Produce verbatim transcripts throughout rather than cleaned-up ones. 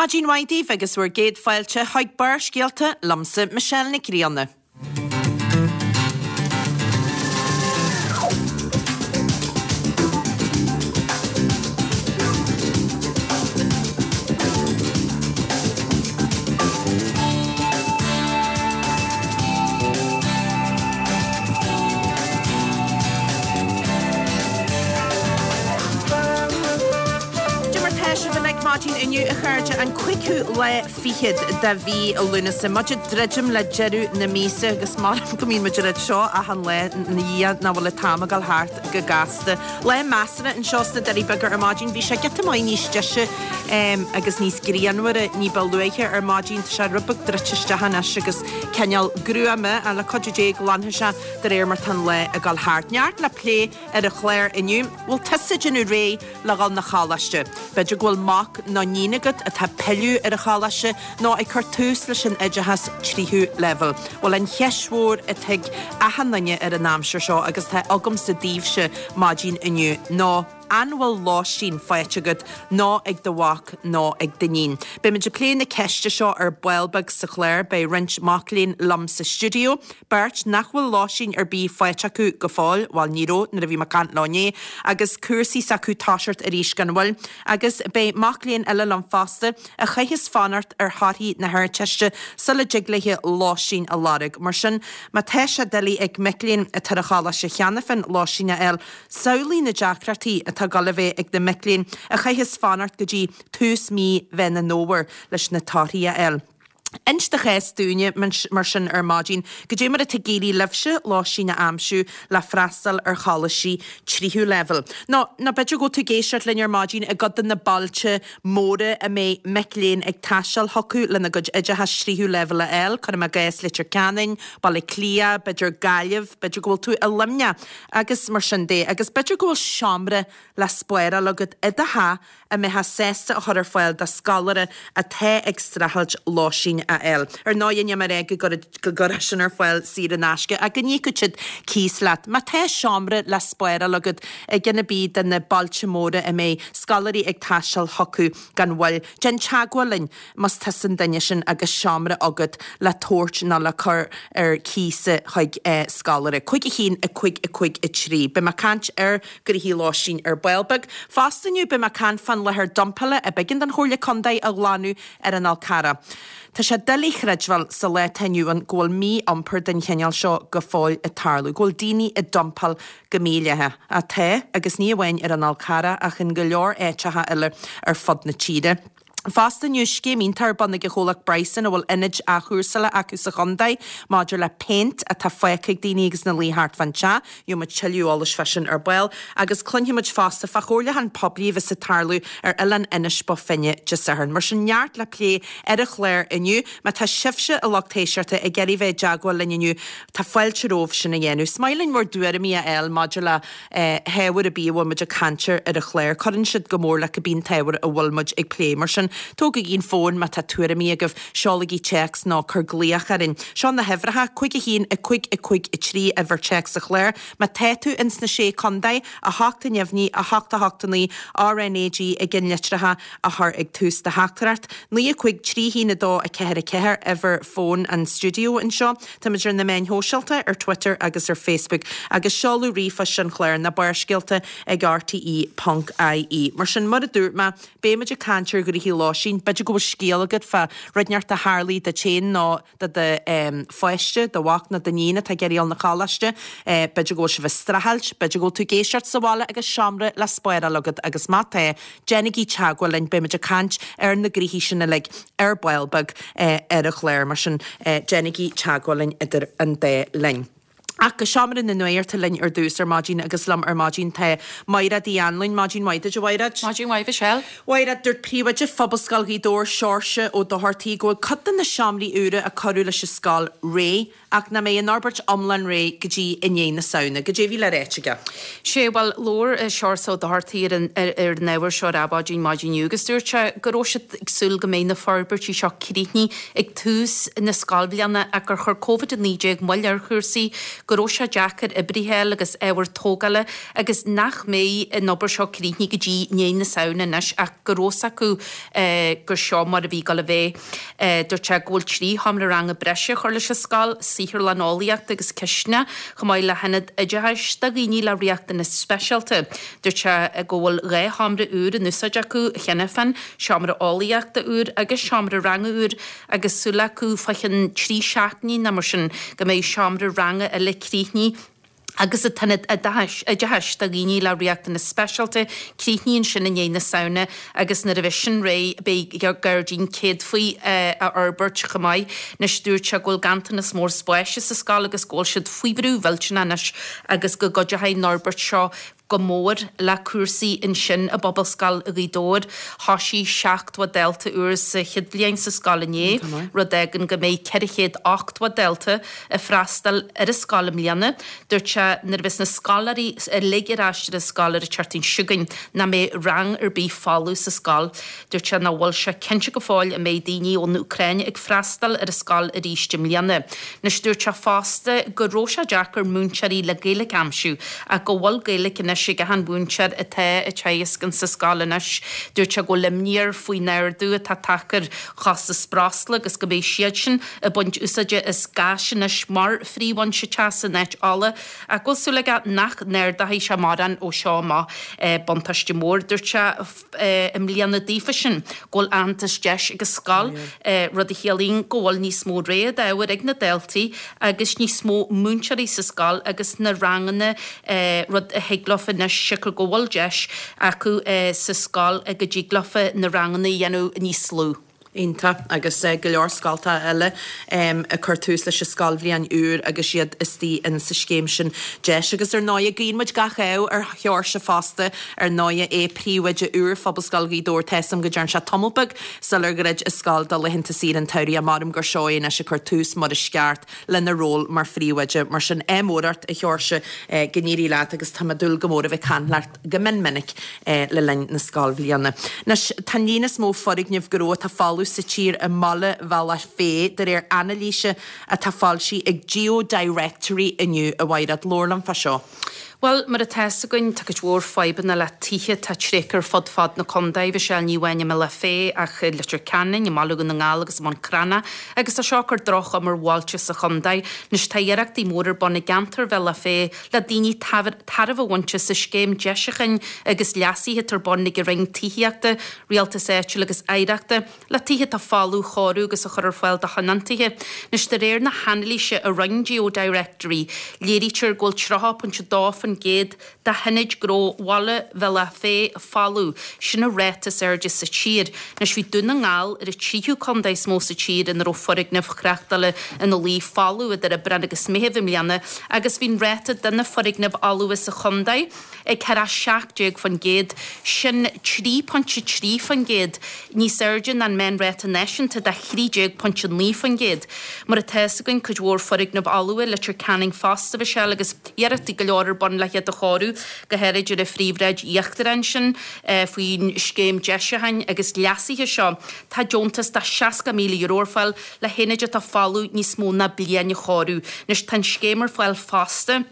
Maidin mhaith daoibh agus bhur gcéad fáilte chuig Barrscéalta liomsa Michelle Nic Grianna. Cad é mar tá sibh uilig maidin inniu a chairde an cúigiú lá fichead de mhí Lúnasa. Muid ag druidim le deireadh na míosa agus maram go mbíonn muid ag rá seo achan lá a Dhia nach bhfuil an t-am ag dul thart go gasta. Lá measartha anseo sna Doirí Beaga ar maidin bhí sé giota maith níos deise agus níos grianmhaire ní ba luaithe ar maidin tá sé rud beag druidte isteach anois agus cineál gruama ach le cuidiú Dé glanfaidh sé de réir mar tá an lá ag dul thart. Neart le plé ar an chlár inniu. Bhfuil tusa ag déanamh réidh le dhul 'na choláiste? B'fhéidir go bhfuil mac nó níon agat atá ag pilleadh ar an choláiste nó ag cur tús leis an oideachas tríú leibhéal. Bhuel an cheist mhór atá ag achan duine ar an aimsir seo agus atá agamsa daoibhse maidin inniu ná an bhfuil lóistín faighte agat nó ag do mhac nó ag d'iníon. Beimid ag plé na ceiste seo ar ball beag sa chlár, beidh roinnt mac léinn liom sa stiúideo, beirt nach bhfuil lóistín ar bith faighte acu go fóill, bhuel ní raibh nuair a bhí mé ag caint leo inné, agus cúrsaí s'acu ag toiseacht arís gan mhoill. Agus beidh mac léinn eile liom fosta a chaithfeas fanacht ar thorthaí na hArdteiste sula dtig léi lóistín a lorg. Mar sin, má tá sé doiligh ag mic léinn atá ar an choláiste cheana féin lóistín a fháil, samhlaigh na deacrachtaí atá ag dul a bheith ag na mic léinn a chaithfeas fanacht go dtí tús mí Mheán an Fhómhair leis na torthaí a fháil. Inis do chás dúinne mar sin ar maidin, cad é mar atá ag éirí libhse lóistín a aimsiú le freastal ar choláistí tríú leibhéal. Nó nó b'fhéidir go bhfuil tú ag éisteacht linn ar maidin i gcuid de na bailte móra a mbeidh mic léinn ag taisteal chucu lena gcuid oideachais tríú leibhéal a fháil, cuirim i gcás Leitir Ceanainn, Baile Átha Cliath, b'fhéidir Gaillimh, b'fhéidir go bhfuil tú i Luimneach agus mar sin de. Agus b'fhéidir go bhfuil seomra le spáráil agat i do theach a mbeifeá sásta a chur ar fáil do scoláire atá ag streachailt lóistín a fháil. Ar ndóigh, níl mé ag rá go gcuirfeá sin ar fáil saor in aisce ach go n-íocfadh siad cíos leat. Má tá seomra le spáráil agat i gceann ar bith de na bailte móra a mbeidh scoláirí ag taisteal chucu gan mhoill, déan teagmháil linn más tusa an duine sin agus seomra agat le tabhairt nó le cur ar cíos chuig scoláire. Cúig a haon, a cúig, a cúig, a trí. Beidh mé ag caint ar ghnoithí lóistín ar ball beag. Fosta inniu beidh mé ag caint fán láthair dumpála a b'éigean don Chomhairle Contae a ghlanadh ar an Fhál Carrach. Tá sé doiligh a chreidbheáil sa lá atá inniu ann go bhfuil mí-iompar den chineál seo go fóill ag tarlú, go bhfuil daoine ag dumpáil go mídhleathach. Ach tá, agus ní amháin ar an Fhál Carrach ach in go leor áiteacha eile ar fud na tíre. Fosta inniu, scéim iontach ar bun ag an chomhlacht Bryson a bhfuil ionaid athchúrsála acu sa chontae maidir le péint atá fágtha ag daoine agus ina luí thart fán teach. Gheobhaidh muid tuilleadh eolais fá sin ar ball agus cluinfidh muid fosta fá chomhairliúchán poiblí a bheas ag tarlú ar oileán Inis Bó Finne Dé Sathairn. Mar sin neart le plé ar an chlár inniu. Má tá sibhse, a lucht éisteachta, ag iarraidh bheith i dteagmháil linn inniu, tá fáilte romhaibh sin a dhéanamh. Is maith linn bhur dtuairimí a fháil maidir le hábhar ar bith a bhfuil muid ag caint air ar an chlár. Cuireann siad go mór le cibé an t-ábhar a bhfuil muid ag plé. Mar sin, tógaigí an fón má tá tuairimí agaibh, seolaigí téacs nó cuir glaoch orainn. Seo na huimhreacha, cúig a haon, a cúig, a cúig, a trí, uimhir téacs an chláir. Má tá tú ins na Sé Contae, a hocht a neamhní, a hocht a hocht a naoi, RnaG i gceannlitreacha a chur ag tús do theachtaireacht. Naoi a cúig trí haon a dó a ceathair a ceathair, uimhir fóin an stiúideo anseo. Táimid ar na meáin shóisialta, ar Twitter agus ar Facebook, agus seoladh ríomhphoist an chláir, na Barrscéalta ag rte ponc ie. Mar sin, mar a dúirt mé, beimid ag caint ar ghnoithí lóistín. B'fhéidir go bhfuil scéal agat fá rud inteacht a tharlaigh duit féin nó do do pháiste, do mhac nó d'iníon atá ag iarraidh dul 'na choláiste. B'fhéidir go bhfuil sibh ag streachailt, b'fhéidir go bhfuil tú ag éisteacht sa bhaile agus seomra le spáráil agat agus má tá, déanaigí teagmháil linn, beimid ag caint ar na gnoithí sin uilig ar ball beag ar an chlár, mar sin déanaigí teagmháil linn idir an dá linn. Ach go seomra na nuachta linn ar dtús ar maidin agus liom ar maidin tá Maighread Uí Anluain. Maidin mhaith duit, a Mhaighread. Maidin mhaith, Michelle. Mhaighread, dúirt Príomhoide Phobalscoil Ghaoth Dobhair, Seoirse Ó Dochartaigh, go bhfuil cuid de na seomraí úra a cuireadh leis an scoil réidh ach nach mbeidh an fhorbairt iomlán réidh go dtí i ndiaidh na Samhna. Goidé a bhí le ráit aige? Sé, bhuel, labhair Seoirse Ó Dochartaigh ar an ar an ábhar seo ar Adhmhaidin maidin inniu agus dúirt sé go raibh siad ag súil go mbeidh na forbairtí seo críochnaithe ag tús na scoilbhliana ach gur chuir Covid a naoi déag moill ar chúrsaí, go raibh sé deacair oibrithe a fháil agus ábhar tógála agus nach mbeidh an obair seo críochnaithe go dtí i ndiaidh na Samhna anois ach go raibh fhios acu gur seo mar a bhí ag dul a bheith. Dúirt sé go bhfuil trí sheomra ranga breise a chur leis an scoil, saotharlann eolaíochta agus cistineach, chomh maith le hionad oideachais do dhaoine le riachtanais speisialta. Dúirt sé go bhfuil dhá sheomra úr in úsáid acu cheana féin, seomra eolaíochta úr agus seomra ranga úr agus súil acu fá cheann trí seachtainí nó mar sin go mbeidh seomra ranga eile críochnaithe agus an t-ionad oideachais do dhaoine le riachtanais speisialta críochnaithe ansin i ndiaidh na Samhna agus nuair a bheidh sin réidh beidh gairdín céadfaí á fhorbairt chomh maith. Anois dúirt sé go bhfuil ganntanas mór spáis sa scoil agus go bhfuil siad faoi bhrú mhillteanach anois agus go gcuideoidh an fhorbairt seo go mór le cúrsaí ansin i bPobalscoil Ghaoth Dobhair. Thosaigh seachtó dalta úr sa chéad bhliain sa scoil inné, rud a fhágann go mbeidh ceithre chéad ochtó dalta ag freastal ar an scoil i mbliana. Dúirt sé nuair a bheas na scoláirí uilig ar ais ar an scoil ar an tseachtain seo chugainn nach mbeidh rang ar bith folamh sa scoil. Dúirt sé nach bhfuil sé cinnte go fóill an mbeidh daoine ón Úcráin ag freastal ar an scoil arís i mbliana. Anois dúirt sé fosta go raibh sé deacair múinteoirí le Gaeilge a aimsiú ach go bhfuil Gaeilge anois ag achan mhúinteoir atá ag teagasc insa scoil anois. Dúirt sé go bhfuil imní air faoin ardú atá tagtha ar chostas breosla agus go mbeidh siad sin ag baint úsáide as gás anois mar phríomhfhoinse teasa in áit ola ach go bhfuil súil aige nach n-ardóidh sé mórán ó seo amach. Buntáiste mór, dúirt sé, i mbliana daofa sin go bhfuil aitheantas deis ag an scoil, rud a chiallaíonn go bhfuil níos mó rogha d'ábhair ag na daltaí agus níos mó múinteoirí sa scoil agus sna ranganna, rud a thig leofa anois siocair go bhfuil deis acu sa scoil go dtig leofa na ranganna a dhéanamh níos lú. Iontach. Agus go leor scoltacha eile ag cur tús leis an scoilbhliain úr agus iad istigh in sa scéim sin deis. Agus ar ndóighe, guíonn muid gach ádh ar Sheoirse fosta, ar ndóighe é príomhoide úr Phobalscoil Ghaoth Dobhair. Tá 'fhios a'm go dtearn sé tamall beag sular dhruid an scoil do laethanta saoire an tsamhraidh. Maram gur seo é anois ag cur tús mar is ceart lena ról mar phríomhoide. Mar sin, ádh mór ort, a Sheoirse, go n-éirí leat agus tá mé ag dúil go mór a bheith ag caint leat go mion minic le linn na scoilbhliana. Anois, tá an líon is mó foirgneamh gnó atá folamh sa tír i mbaile Bhealach Féich, de réir anailíse atá foilsithe ag GeoDirectory inniu, a Mhaighread. Labhair liom fá seo. Bhuel, mar atá 'fhios againn, tá cuid mhór fadhbanna le tithe atá tréigthe ar fud fad na contae, Mhichelle, ní amháin i mBealach Féich ach i Leitir Ceanainn, i mBaile Dhún na nGall agus i mBun Cranncha agus tá seo ag cur droch-chuma ar bhailte sa chontae. Anois tá iarrachtaí móra ar bun i gceantar Bhealach Féich le daoine tairbhe a bhaint as an scéim deisiúcháin agus leasaithe atá ar bun ag an Roinn Tithíochta, Rialtais Áitiúil agus Oidhreachta le tithe atá folamh a chóiriú agus a chur ar fáil do thionóntaithe. Anois de réir na hanailíse a rinne GeoDirectory, léirítear go bhfuil tríocha pointe dó faoin gcéad de hionaid gnó Bhaile Bhealach Féich folamh, sin an ráta is airde sa tír. Anois bhí Dún na nGall ar an tríú contae is mó sa tír ina raibh foirgnimh thráchtála ina luí folamh idir Aibreán agus Meitheamh i mbliana agus bhí an ráta de na foirgnimh fholmha sa chontae ag ceathracha seacht déag faoin gcéad, sin trí pointe trí faoin gcéad níos airde ná an meánráta náisiúnta de thrí déag pointe naoi faoin gcéad. Mar atá 'fhios againn, cuid mhór foirgneamh fholmha i Leitir Ceanainn fosta, Mhichelle, agus iarrachtaí go leor ar bun le hiad a chóiriú, go háirid ar an phríomhshráid íochtarach ansin. Faoin scéim deisiúcháin agus leasaithe seo, tá deontas de seasca míle euro ar fáil le haonaid atá folamh níos mó ná bliain a chóiriú. Anois tá an scéim ar fáil fosta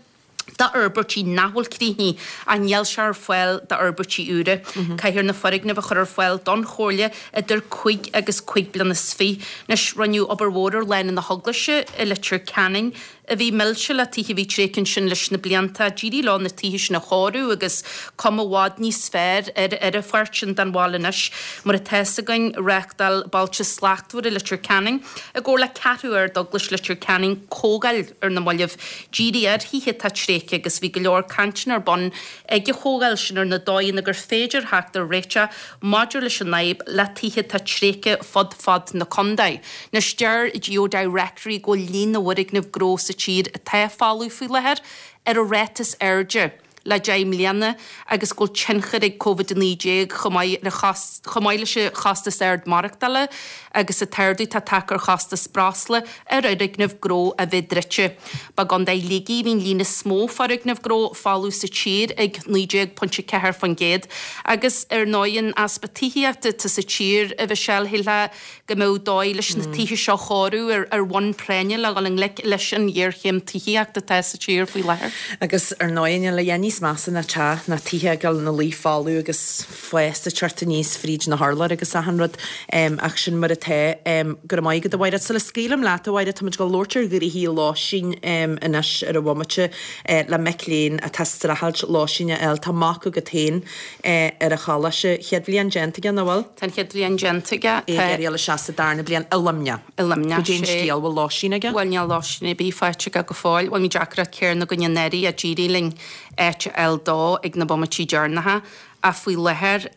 d'fhorbairtí nach bhfuil críochnaithe ach níl sé ar fáil d'fhorbairtí úra. Caithfear na foirgnimh a chur ar fáil don Chomhairle idir cúig agus cúig bliana is fiche. Anois, rinneadh obair mhór ar Lána na hEaglaise i Leitir Ceanainn a bhí millte le tithe a bhí tréigthe ansin leis na blianta. D'éirigh leo na tithe sin a chóiriú agus cuma i bhfad níos fearr ar ar an pháirt sin den bhaile anois. Mar atá 'fhios againn, reáchtáil Bailte Slachtmhara Leitir Ceanainn i gcomhar le Ceathrú Ardeaglais Leitir Ceanainn comhdháil ar na mallaibh dírithe ar thithe atá tréigthe agus bhí go leor cainteanna ar bun ag an chomhdháil sin ar na dóigheanna gur féidir theacht ar réiteach maidir leis an fhadhb le tithe atá tréigthe fud fad na contae. Anois deir GeoDirectory go bhfuil líon na bhfoirgneamh gnó sa tír atá folamh faoi láthair ar an ráta is airde le deich mbliana agus go bhfuil tionchar ag Covid a naoi déag chomh maith le chomh maith leis an chostas ard maireachtála agus an t-ardú atá tagtha ar chostas breosla ar fhoirgnimh gnó a bheith druidte. Ba i gContae Shligigh a bhí an líon is mó foirgneamh gnó folamh sa tír ag naoi déag pointe ceathair faoin gcéad agus ar ndóigh an easpa tithíochta atá sa tír a Mhichelle shílfeá go mbeadh dóigh leis na tithe seo a chóiriú ar ar bhonn práinne le dhul i ngleic leis an ghéarchéim tithíochta atá sa tír faoi láthair. Agus ar ndóigh níl a dhath níos measa ná teach ná tithe ag dul ina luí folamh agus fás ag teacht aníos fríd na hurláir agus achan rud ach sin mar atá. Go raibh maith agat a Mháire. Sula scaoilim leat a Mháire, táimid ag dul labhairt ar ghnoithí lóistín anois ar an bhomaite le mic léinn atá ag streachailt lóistín a fháil. Tá mac agat féin ar an choláiste. Chéad bhliain déanta aige, nach bhfuil? Tá an chéad bhliain déanta aige. É ag iarraidh dul isteach sa darna bliain i Luimneach. I Luimneach, Goidé an sé. scéal, bhfuil lóistín aige? Bhuel, níl lóistín ar bith faighte aige go fóill. Bhuel, bhí deacracht céanna againn anuraidh ach d'éirigh linn áit a fháil dó ag na bomaití deireanacha ach faoi láthair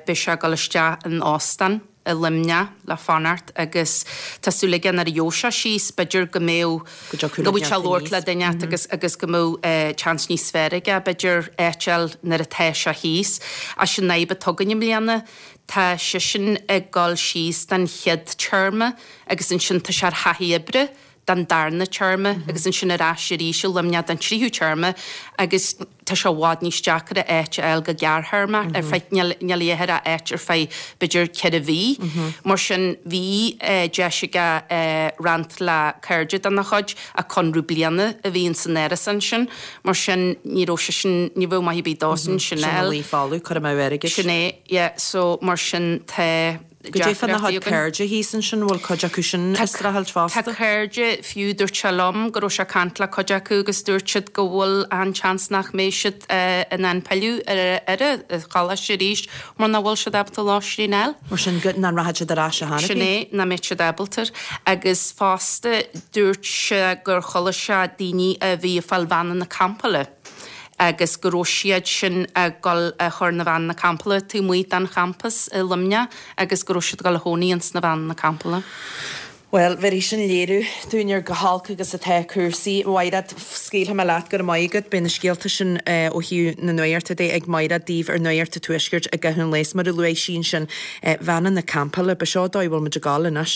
beidh sé ag dul isteach in óstán i Luimneach le fanacht agus tá súil aige nuair a gheobhaidh sé síos b'fhéidir go mbeadh Go dtiocfadh go le bhfuil sé neart labhairt le aníos. duine agus agus go mbeadh chance níos fearr aige b'fhéidir áit a fháil nuair atá sé thíos. Ach sin an fhadhb atá againn i mbliana tá seisean ag dul síos don chéad téarma agus ansin tá sé ar thaithí oibre don darna téarma agus ansin ar ais arís i Luimneach don tríú téarma agus tá sé i bhfad níos deacra áit a fháil go gearrthéarma ar feadh níl níl a dhath ach áit ar feadh b'fhéidir ceithre mhí. Mar sin bhí deis aige roinnt le cairde dena chuid ach conradh bliana a bhí ins an árasán sin mar sin ní raibh sé sin ní bheadh maith ar bith dósan sin Sin a a fháil. luí folamh, cur amú airgid. Sin é, yeah, so mar sin tá Goidé fána deacrachtaí chuid againn. cairde thíos ansin, bhfuil cuid acu sin ag streachailt Tá fosta? cairde fiú dúirt sé liom go raibh sé ag caint le cuid acu agus dúirt siad go bhfuil an-tseans nach mbeidh siad in ann pilleadh ar ar an choláiste arís mar nach bhfuil siad ábalta lóistín a fháil. Mar sin go nach rachaidh siad ar ais a Sin tháinig. é nach mbeidh siad ábalta. Agus fosta dúirt sé gur chuala sé daoine a bhí ag fáil veaineanna campála agus go raibh siad sin ag dul a chur na veaineanna campála taobh amuigh den champas i Luimneach agus go raibh siad ag dul a chónaí ins na veaineanna campála. Bhuel, bheir sin léiriú dúinn ar chomh holc agus atá cúrsaí. Mhairéad, scaoilfidh mé leat go raibh maith agat. Beidh na scéalta sin ó thaobh na nuachta de ag Mairéad daoibh ar Nuacht an Tuaiscirt i gcaitheamh an lae. Mar a luaigh sí ansin, veaineanna campála, ba seo dóigh a bhfuil muid ag dul anois.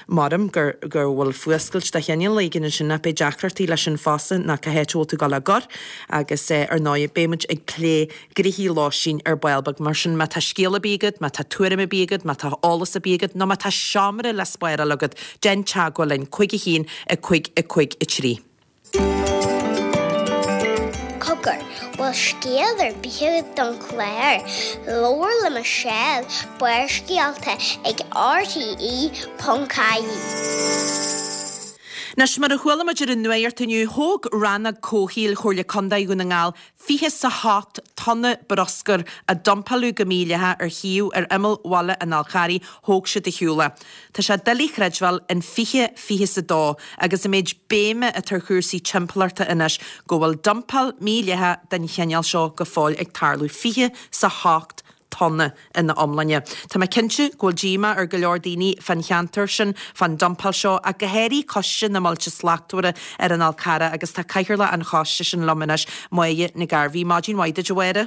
Maram gur gur bhfuil fuascailt de chineál éigin ansin nach beidh deacrachtaí leis sin fosta ná cá háit a bhfuil tú ag dul á gcur agus ar ndóigh beidh muid ag plé gnoithí lóistín ar ball beag mar sin má tá scéal ar bith agat, má tá tuairim ar bith agat, má tá eolas ar bith agat nó má tá seomra le spáráil agat, déan teagmháil linn cúig a haon a cúig a cúig a trí. Cogar, bhfuil scéal ar bith agat don chlár, labhair le Michelle, Barrscéalta ag RTE ponc ie. Anois mar a chuala muid ar an nuacht inniu, thóg rannóg comhshaoil Chomhairle Contae Dhún na nGall fiche 's a hocht tonna bruscair a dumpáladh go mídhleathach ar shuíomh ar imeall bhaile an Fhál Carraigh, thóg siad ar shiúl é. Tá sé doiligh a chreidbheáil in fiche fiche 's a dó agus an méid béime atá ar chúrsaí timpeallachta anois go bhfuil dumpáil mídhleathach den chineál seo go fóill ag tarlú. fiche 's a hocht tonna ina iomláine. Tá mé cinnte go bhfuil díomá ar go leor daoine fán cheantar sin fán dumpáil seo ach go háirithe Coiste na mBailte Slachtmhara ar an Fhál Carrach agus tá cathaoirleach an choiste sin liom anois, Máire Nic Gairbhí. Maidin mhaith duit a Mháire.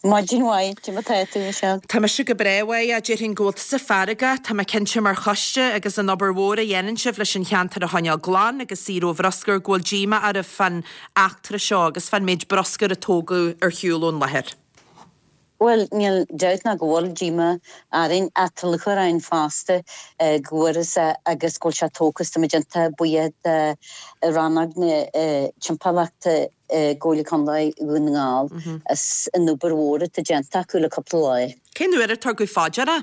Maidin mhaith, cad é mar atá tú Michelle. Tá mise go breá a Mháire, déarfainn go bhfuil tusa feargach, tá mé cinnte mar choiste agus an obair mhór a dhéanann sibh leis an cheantar a choinneáil glan agus saor ó bhruscar go bhfuil díomá oraibh fán eachtra seo agus fán méid bruscair a tógadh ar shiúl ón láthair. Well níl dabht ná go bhfuil díomá orainn ach tá lúcháir orainn fosta go bhfuarthas é agus go bhfuil sé tógtha tá muid iontach buíoch de rannóg na timpeallachta i gComhairle Contae Dhún na nGall as an obair mhór atá déanta acu le cúpla lá. Cén uair a tugadh faoi deara?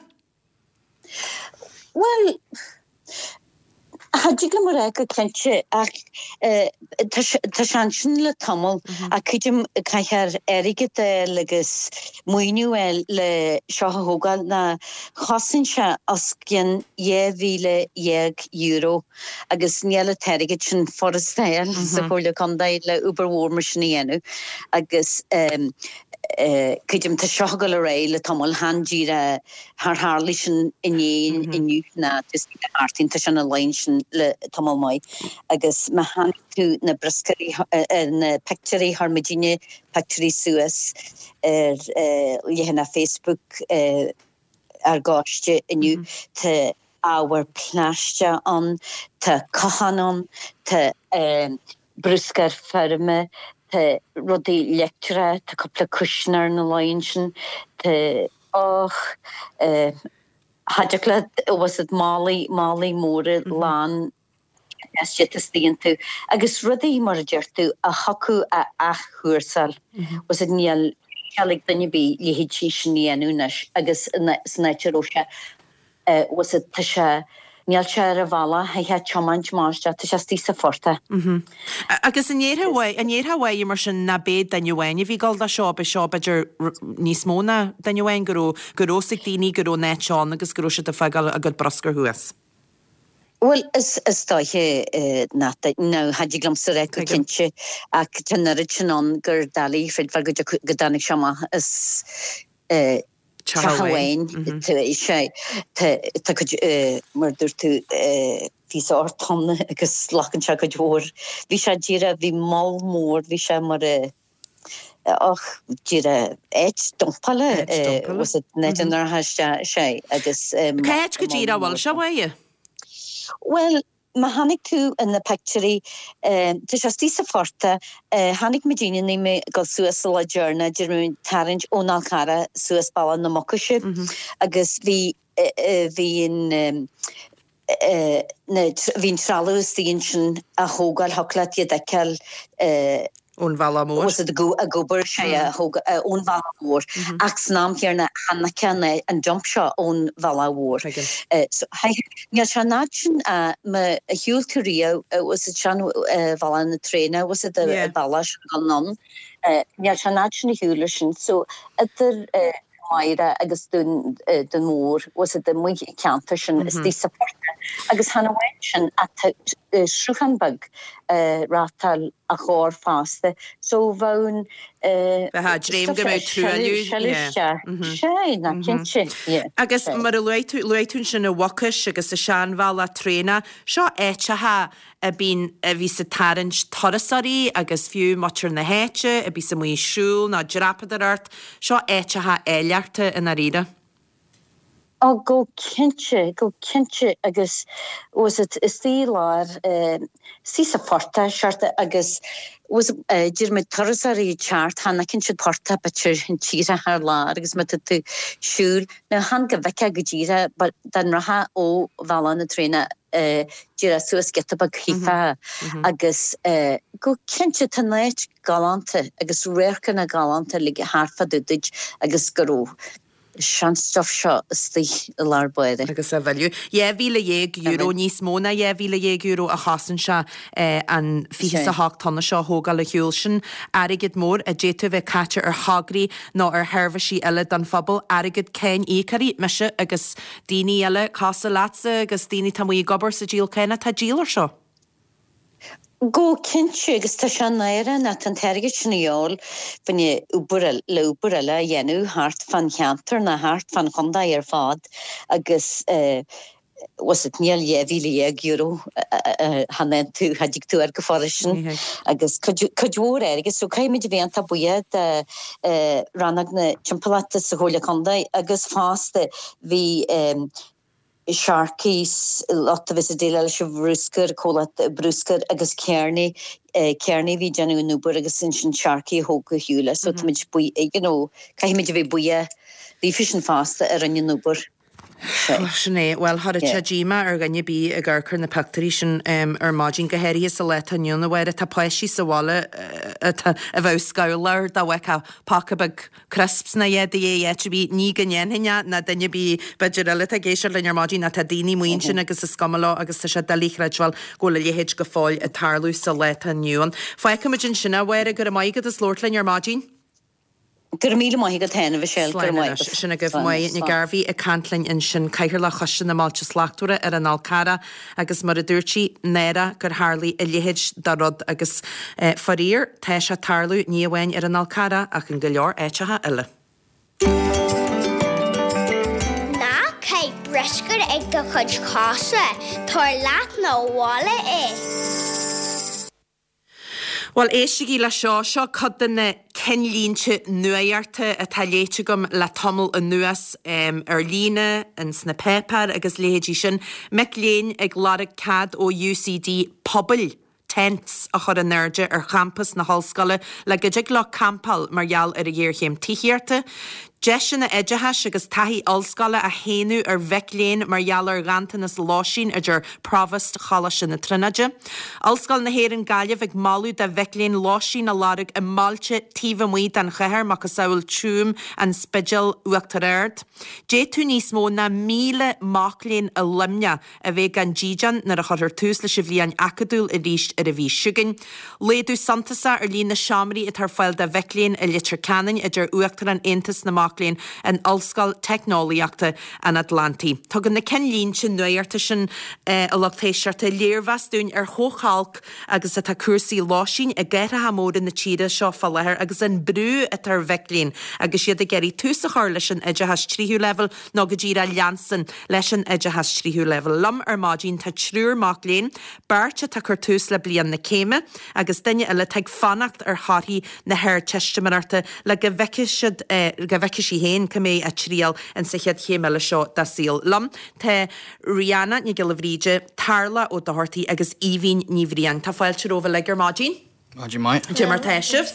Well cha dtig liom a rá go cinnte ach tá sé ansin le tamall ach creidim caithfear airgead a fháil agus maoiniú a fháil le seo a thógáil ná chosain sé os cionn dhá mhíle dhéag euro agus níl an t-airgead sin furasta a fháil sa Chomhairle Contae le obair mhór mar sin a dhéanamh agus Creidim tá seo ag dul ar aghaidh le tamall chan díreach char tharlaigh sin inné inniu ná just thart tá sé na line sin le tamall maith agus má chonaic tú na bruscairí na pictiúirí chuir muidinne pictiúirí suas ar leathanach Facebook ár gcoiste inniu tá ábhar plaisteach ann, tá cotháin ann, tá bruscar feirme, tá rudaí leictreacha, tá cúpla cúisín ar na laighin sin, tá och cha dtig leat was it málaí málaí móra lán istigh iontu agus rudaí mar a deir tú a thiocfadh a athchúrsáil was it níl cead ag duine ar bith leithéidí sin a dhéanamh anois agus san áit a raibh sé was it tá sé níl sé ar a bhealach tá sé tiomáint amach isteach tá sé istigh sa phortach. Agus an ndéarfá an ndéarfá uaidh mar sin ná b'é duine amháin a bhí ag gabháil do seo, b'é seo b'fhéidir níos mó ná duine amháin go raibh go raibh fhios ag daoine go raibh an áit ann agus go raibh siad ag fágáil a gcuid bruscair thuas. Bhuel is is dóiche nach nó cha dtig liomsa a rá go cinnte ach tá an oiread sin ann gur doiligh chreidbheáil go go dtáinig sé amach as teach amháin. Sé tá cuid mar dúirt tú píosa ocht tonna agus glacann sé cuid mhór. Bhí sé díreach bhí moll mór bhí sé mar och díreach áit dumpála was it net an sé agus Cá háit go díreach a bhfuil sé uaidh? Well, má chonaic tú in na pictiúirí tá sé istigh sa phortach, chonaic muid daoine mé ag dul suas sa lá deireanach d'fhéadfadh muid tarraingt ón Fhál Carrach suas Bealach na Mucaise agus bhí bhí an na bhí an trealamh istigh ansin á thógáil thiocfadh leat iad a fheiceáil Ón bhealach mór. Was it ag obair sé ón bhealach mhór ach san am chéanna chonaic an dump seo ón bhealach mhór. So níl sé an fhad sin má shiúil tú riamh was it sean bhealach na traenach was it bealach sin dul anonn níl sé an fhad sin a shiúl sin so idir Máire agus Dún Dún Mór was it amuigh i ceantar sin istigh sa phortach agus chan amháin sin ach tá sruthán beag reáchtáil a chóir fosta so bheadh an Bheadh dréim go mbeadh truailliú Sé ná cinnte yeah. Agus mar a luaigh tú luaigh tú ansin an Mhucais agus an seanbhealach traenach, seo áiteacha a bíonn a bhíos ag tarraingt turasóirí agus fiú muintir na háite a bíos amuigh ag siúl nó dreapadóireacht, seo áiteacha áilleachta i ndáiríre. Ó go cinnte, go cinnte agus was it istigh i lár istigh sa phortach seort agus was deir muid turasóirí ag teacht chan fheiceann siad portach b'fhéidir an tírdhreach ar lár agus má tá tú ag siúl now chan go bhfeicfeá go díreach but dá rachfá ó bhealach na traenach díreach suas giota beag chífeá agus go cinnte tá an áit galánta agus radharcanna galánta uilig thart fá dtaobh duit agus go raibh seanstuff seo istigh i lár báire. Agus a mhilleadh. Dhá mhíle dhéag euro, níos mó ná dhá mhíle dhéag euro a chosain sé an fiche is a hocht tonna seo a thógáil ar shiúl. Sin airgead mór a d'fhéadfadh a bheith caite ar thograí nó ar sheirbhísí eile don phobal, airgead cáin íocóirí, mise agus daoine eile cosúil leatsa agus daoine atá amuigh ag obair sa díol cánach, tá díol ar seo. Go cinnte agus tá sé náireach nach tá an t-airgead sin a dhíobháil fá choinne obair le obair eile a dhéanamh thart fán cheantar ná thart fán chontae ar fad agus was it níl dhá mhíle dhéag euro chan tú cha dtig tú air go fóill sin agus cuid cuid mhór airgead so caithfimid a bheith iontach buíoch de rannóg na timpeallachta sa Chomhairle Contae agus fosta bhí Sharkies lucht a bhí ag déileáil leis an bhruscar, comhlacht bruscair agus Kearney, Kearney a bhí ag déanamh an obair agus ansin Sharkey a thóg ar shiúl é so táimid buí, you know, caithfimid a bheith buíoch daofa sin fosta a rinne an obair. Sin é. Bhuel, chuirfeadh sé díomá ar dhuine ar bith ag amharc ar na pictiúirí sin ar maidin, go háirithe sa lá atá inniu ann, a Mháire. Tá páistí sa bhaile atá a bheadh scamhla dá bhfeicfeá paca beag crisps ná a dhath de dhíth áit ar bith. Ní go ndéanfainn é, ná duine ar bith b'fhéidir eile atá ag éisteacht linn ar maidin, ach tá daoine amuigh ansin agus is cuma leo agus tá sé doiligh a chreidbheáil go bhfuil a leithéid go fóill ag tarlú sa lá atá inniu ann. Fágfaimid ansin é, a Mháire, go raibh maith agat as labhairt linn ar maidin. Go raibh míle maith agat féin, a Mhichelle, go raibh maith agat. Sin agaibh Moya Nic Gairbhí ag caint linn ansin, Cathaoirleach Choiste na mBailte Slachtmhara ar an Fhál Carrach agus mar a dúirt sí, náire gur tharlaigh a leithéid de rud agus faraor, tá sé ag tarlú ní amháin ar an Fhál Carrach ach in go leor áiteacha eile. Ná caith bruscar ag do chuid cosa, tabhair leat 'na bhaile é. Bhuel, éistigí le seo, seo cuid de na cinnlínte nuachta atá léite agam le tamall anuas ar líne, ins na páipéir agus leithéidí sin. Mic léinn ag lorg cead ó UCD pubaill, tents, a chur in airde ar champas na hollscoile le go dtig leo campáil mar gheall ar an ghéarchéim tithíochta. Deiseanna oideachais agus taithí ollscoile á shéanadh ar mhic léinn mar gheall ar ghanntanas lóistín, a deir Provost Choláiste na Tríonóide. Ollscoil na hÉireann Gaillimh ag moladh do mhic léinn lóistín a lorg i mbailte taobh amuigh den chathair, macasamhail Tuaim, An Spidéal, Uachtar Ard. D'fhéadfadh níos mó ná míle mac léinn i Luimneach a bheith gan dídean nuair a chuirfear tús leis an bhliain acadúil arís ar an mhí seo chugainn. Laghdú suntasach ar líon na seomraí atá ar fáil do mhic léinn i Leitir Ceanainn, a deir Uachtarán Aontas na Mac Léinn in Ollscoil Teicneolaíochta an Atlantaigh. Tugann na cinnlínte nuachta sin, a lucht éisteachta, léirmheas dúinn ar chomh holc agus atá cúrsaí lóistín i gcathracha móra na tíre seo fá láthair agus an brú atá ar mhic léinn agus iad ag iarraidh tús a chur leis an oideachas tríú leibhéal nó go díreach leanstan leis an oideachas tríú leibhéal. Liom ar maidin tá triúr mac léinn, beirt atá ag cur tús le bliain na céime agus duine eile atá ag fanacht ar thorthaí na hArdteistiméireachta le go bhfeicfidh siad, go bhfeicfidh sí féin cá mbeidh a triall insa chéad chéim eile seo dá saol. Liom tá Rihanna Nic Giolla Bhríde, Tarlach Ó Dochartaigh agus Aoibhín Ní Bhriain. Tá fáilte romhaibh uilig ar maidin. Maidin mhaith. Cad é mar tá sibh.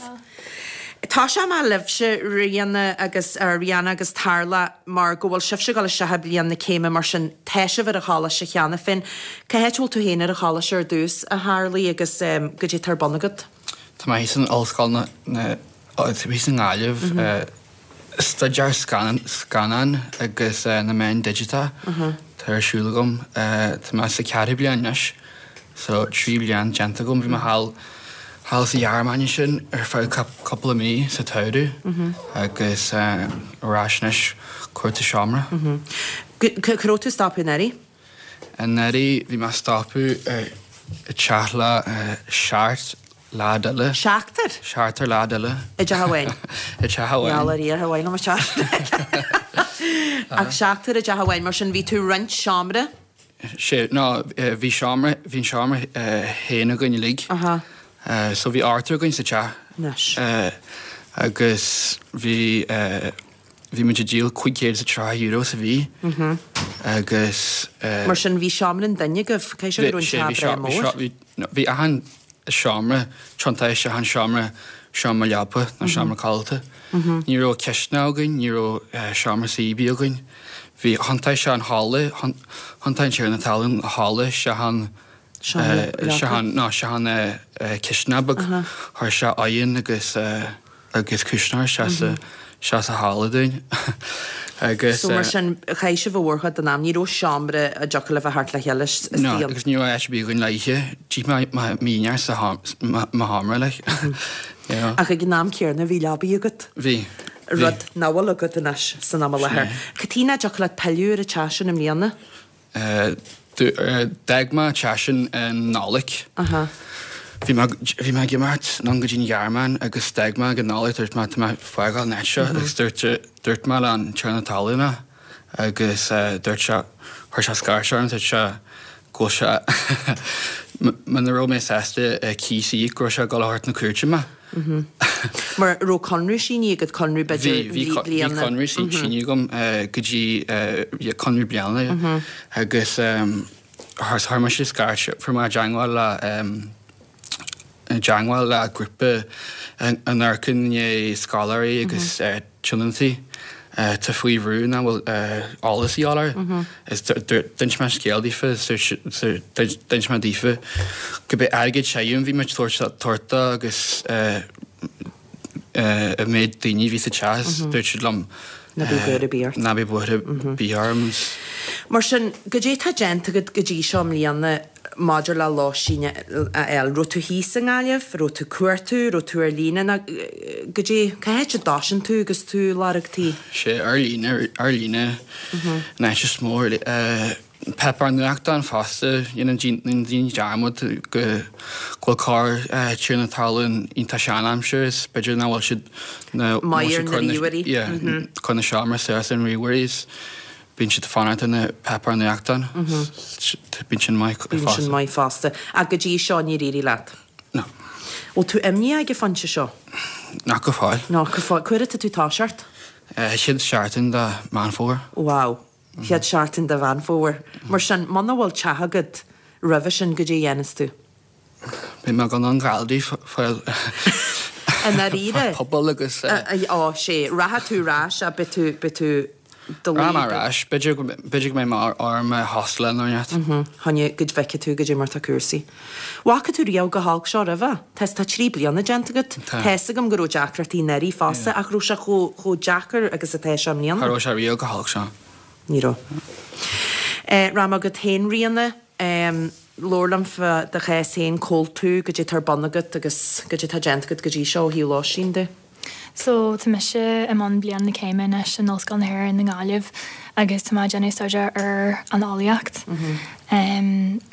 Tosóidh mé libhse, Rihanna agus, Rihanna agus Tarlach, mar go bhfuil sibhse ag dul isteach i bliain na céime, mar sin tá sibh ar an choláiste cheana féin. Cá háit a bhfuil tú féin ar an choláiste ar dtús, a Tharlaigh, agus goidé atá ar bun agat? Tá mé thíos in Ollscoil na, na, thíos i nGaillimh, staidéar scannán agus na meáin digiteacha atá ar siúl agam. Tá mé sa ceathrú bliain anois, so trí bliain déanta agam. Bhí mé thall thall sa Ghearmáin ansin ar feadh cúpla mí sa tsamhradh agus ar ais anois cuartú seomra. Cá raibh tú ag stopadh anuraidh? Anuraidh bhí mé ag stopadh i teach le seacht leaid eile. Seachtar? Seachtar leaid eile. I dteach amháin? I dteach amháin. Gheall ar Dhia, amháin liom a teach. Ach seachtar i dteach amháin, mar sin bhí tú ag roinnt seomra? Sé, no, bhí seomra, bhí an seomra féin againn uilig. Aha. So bhí ochtar againn sa teach. Anois. Agus bhí, bhí muid ag díol cúig chéad is a tríocha euro sa mhí. Agus. Mar sin bhí seomra an duine agaibh, caithfidh sé go raibh an teach breá mór. Bhí, bhí achan seomra, tiontaithe isteach in seomra, seomra leapa nó seomra codlata. Ní raibh cisteanach againn, ní raibh seomra suí ar bith againn. Bhí, thiontaigh sé an halla, thiontaigh an tiarna talún an halla isteach in, isteach in, no, isteach in cisteanach beag. Chuir sé oigheann agus. agus cuisneoir isteach sa isteach sa halla dúinn agus. So mar sin, chaith sibh an mhórchuid den am, ní raibh seomra a dtiocfadh libh a theacht le chéile istigh No, agus ní raibh áit ar bith againn le ithe, d'ith mé m'dhinnéar sa mo sheomra like, you know. Ach ag an am céanna bhí leabaidh agat. Bhí, bhí. Rud nach bhfuil agat anois san am i láthair. Cad chuige nach dtiocfadh leat pilleadh ar an teach sin i mbliana? D'fhág mé an teach sin i Nollaig. Bhí mé bhí mé ag imeacht anonn go dtí an Ghearmáin agus d'fhág mé ag an Nollaig, dúirt mé tá mé ag fágáil an áit seo agus dúirt dúirt mé le an tiarna talún agus dúirt sé chuir sé scairt orm dúirt sé go bhfuil sé muna raibh mé sásta cíos a íoc go raibh sé ag dul a thabhairt na cúirte mé. Mar raibh conradh sínithe agat, conradh b'fhéidir Bhí, bhí, bhí bliana? conradh sínithe agam go dtí conradh bliana agus chuir mise scairt, fuair mé i dteangmháil le, i dteangmháil le grúpa a n-amharcann i ndiaidh scoláirí agus tionóntaí atá faoi bhrú nach bhfuil eolas a dhíobháil orthu. Is d'inis mé an scéal daofa, d'inis mé daofa go b'é airgead tirim a bhí muid tabhairt dó agus an méid daoine a bhí sa teach is dúirt siad liom Ná bíodh buaireamh ar bith ort. Ná bíodh buaireamh ar bith orm. Mar sin, goidé tá déanta agat go dtí seo i mbliana maidir le lóistín a fháil? Raibh tú thíos i nGaillimh? Raibh tú ag cuartú? Raibh tú ar líne? Nó goidé, cá háit a dtosaíonn tú agus tú ag lorg tí? Sé, ar líne, ar líne an áit is mó. Páipéar nuachtáin fosta, dhéanann daoine dearmad go bhfuil corr tiarna talún iontach sean-aimseartha is b'fhéidir nach bhfuil siad maith ar na ríomhairí. cur na seomra suas ar an ríomhairí is bíonn siad ag fanacht ar na páipéir nuachtáin. Bíonn sin maith Bíonn sin maith fosta. Ach go dtí seo níor éirigh leat? No. Bhfuil tú imníoch ag an phointe seo? Nach go fóill. Nach go fóill. Cá huair atá tú ag toiseacht? Chéad seachtain de Meán Fómhair. Wow. Chéad seachtain de Mheán Fómhair. Mar sin, muna bhfuil teach agat roimhe sin, goidé a dhéanfas tú? Beidh mé ag dul an Gailearaí fáil I ndáiríre? Pobal agus. Ó, sé, rachaidh tú ar ais, beidh tú, beidh tú do luí. Rachaidh mé ar ais, b'fhéidir go, b'fhéidir go mbeidh mé orm i hostel nó rud. Choinne go bhfeicfidh tú goidé mar tá cúrsaí. Bhfaca tú riamh chomh holc seo roimhe? Tá, tá trí bliana déanta agat. Tá. Tá's agam go raibh deacrachtaí anuraidh fosta ach raibh sé chomh, chomh deacair agus atá sé i mbliana? Cha raibh sé riamh chomh holc seo. Ní raibh. Rachaidh mé chugat féin Ríona, labhair liom fá do chás féin, cá bhfuil tú, goidé atá ar bun agat agus goidé atá déanta agat go dtí seo ó thaobh lóistín de. So tá mise i mbun bliain na céime anois in Ollscoil na hÉireann i nGaillimh agus tá mé ag déanamh staidéar ar an eolaíocht. Níl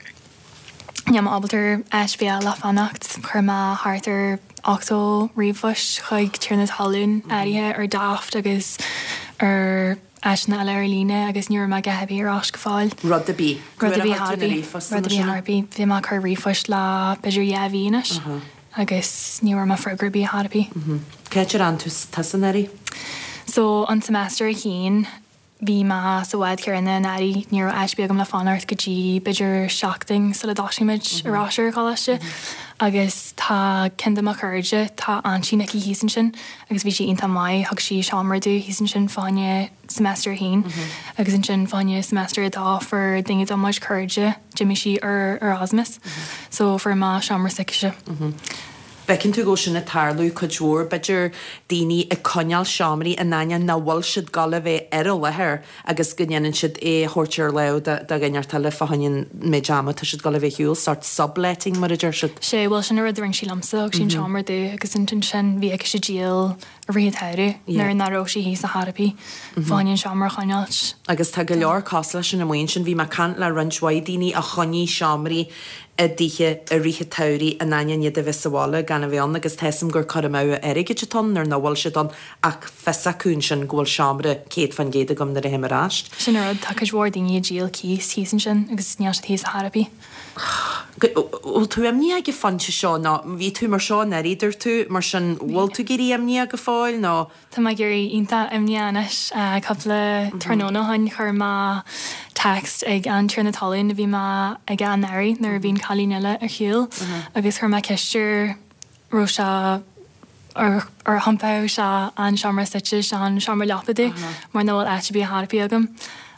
mé ábalta áit ar bith le fanacht, chuir mé thart ar ochtó ríomhphost chuig tiarna talún áirithe ar Daft agus ar áiteanna eile ar líne agus ní raibh mé a dhath ar bith ar ais go fóill. Rud ar bith. Rud ar bith ar bith. Rud ar bith ar bith. Bhí mé ag cur ríomhphoist le b'fhéidir dhá mhí anois agus ní raibh mé freagra ar bith ar bith. Cá háit ar fhan tú tusa anuraidh? So an semester a haon bhí mé sa bhád céanna anuraidh, ní raibh áit ar bith agam le fanacht go dtí b'fhéidir seachtain sula dtosaigh muid ar ais ar an choláiste agus tá ceann de mo chairde, tá aintín aici thíos ansin agus bhí sí iontach maith, thug sí seomra domh thíos ansin fá choinne semester a haon agus ansin fá choinne semester a dó fuair duine de mo chuid cairde, d'imigh sí ar Erasmus so fuair mé seomra s'aicise. Feiceann tú go bhfuil sin ag tarlú cuid mhór, b'fhéidir daoine ag coinneáil seomraí in ainneoin nach bhfuil siad ag gabháil a bheith ar an láthair agus go ndéanann siad é a thabhairt ar láimh do dhuine inteacht eile fá choinne an méid ama atá siad ag gabháil a bheith ar shiúl, sort subletting mar a deir siad. Sé, bhuel sin an rud a rinne sí liomsa, thug sí an seomra domh agus ansin bhí aici díol i rith an tsamhraidh nuair nach raibh sí thíos ar chor ar bith fá choinne an seomra a choinneáilt. Agus tá go leor cosúil leis sin amuigh ansin. Bhí mé ag caint le roinnt mhaith daoine a choinnigh seomraí i dtithe i rith an tsamhraidh in ainneoin iad a bheith sa bhaile gan a bheith ann agus tá 'fhios a'm gur cur amú airgid atá ann nuair nach bhfuil siad ann ach fios acu ansin go bhfuil seomra céad fán gcéad agam nuair a théim ar ais. Sin an rud, tá cuid mhór daoine ag díol cíos thíos ansin agus níl siad thíos ar chor ar bith. Bhfuil tú imníoch ag an phointe seo nó bhí tú mar seo anuraidh dúirt tú, mar sin bhfuil tú ag éirí imníoch go fóill nó? Tá mé ag éirí iontach imníoch anois. Cúpla tráthnóna ó shin chuir mé text ag an tiarna talún a bhí mé aige anuraidh nuair a bhí an cailín eile ar shiúl agus chuir mé ceist air raibh sé ar ar thiompódh sé an seomra suite sé an seomra leapa domh mar nach bhfuil áit ar bith ar chor ar bith agam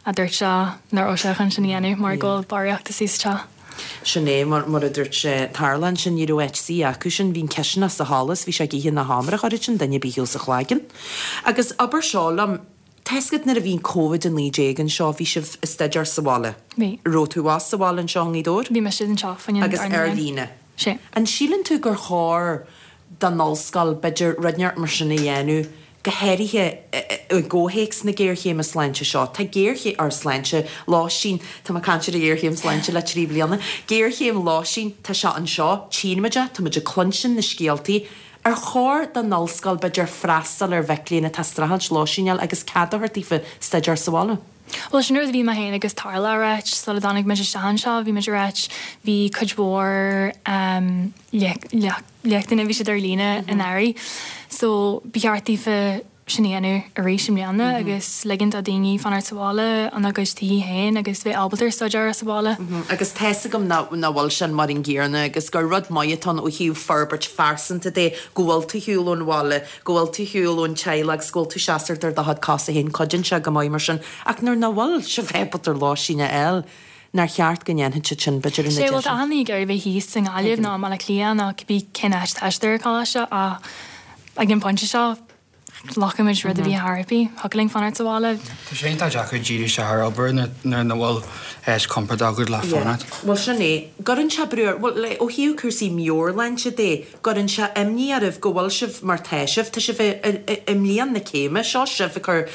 a dúirt sé nach raibh sé chun sin a dhéanamh mar go bhfuil barraíocht istigh sa teach. Sin é, mar a dúirt sé, tharla ansin, ní raibh áit suí acu sin, bhí an cisteanach sa halla is bhí sé ag ithe na seomra, cha raibh sin duine ar bith sa chloigeann. Agus abair seo liom, tá 'fhios agat nuair a bhí an Covid a naoi déag anseo, bhí sibh ag staidéar sa bhaile? Bhí. Raibh tú abhus sa bhaile anseo i nGaoth Dobhair? Bhí mise anseo, fá choinne Agus ar líne? Sea. An síleann tú gur chóir don ollscoil, b'fhéidir, rud inteacht mar sin a dhéanamh, go háirithe i gcomhthéacs na géarchéime sláinte seo? Tá géarchéim, or sláinte, lóistín, tá mé ag caint ar an ghéarchéim sláinte le trí bliana, géarchéim lóistín, tá sé anseo, tchíonn muid é, tá muid ag cluinstin na scéaltaí. Ar chóir don ollscoil, b'fhéidir, freastal ar mhic léinn atá ag streachailt lóistín a fháil agus cead a thabhairt daofa staidéar sa bhaile? Bhuel, sin rud a bhí mé féin agus Tarla a ráit sula dtáinig muid isteach anseo, bhí muid ag ráit, bhí cuid mhór léachtanna, bhí siad ar líne anuraidh, so ba cheart daofa sin a dhéanamh arís i mbliana agus ligint do dhaoine fanacht sa bhaile ina gcuid tithe féin agus bheith ábalta staidéar sa bhaile. Agus tá's agam nach bhfuil sin mar an gcéanna agus gur rud maith atá ann ó thaobh forbairt phearsanta de go bhfuil tú ar shiúl ón bhaile, go bhfuil tú ar shiúl ón teaghlach agus go bhfuil tú seasamh ar do chuid cosa féin, cuidíonn sé go maith mar sin. Ach nuair nach bhfuil sibh ábalta lóistín a fháil, nár cheart go ndéanfadh siad sin, b'fhéidir, ina Sé bhuel tá achan duine ag iarraidh bheith thíos i nGaillimh nó i mBaile Átha Cliath nó cibé cén áit atá siad ar an choláiste ach ag an bpointe seo, ghlacfaimid rud a bhí thar a bith. Thiocfadh linn fanacht sa bhaile. Tá sé iontach deacair díriú isteach ar obair nuair nach bhfuil áit compordach agat le fanacht. Bhuel sin é. Gcuireann sé brú ar, bhuel ó thaobh cúrsaí meabhairshláinte de, gcuireann sé imní oraibh go bhfuil sibh mar tá sibh, tá sibh i mbliain na céime, seo sibh ag cur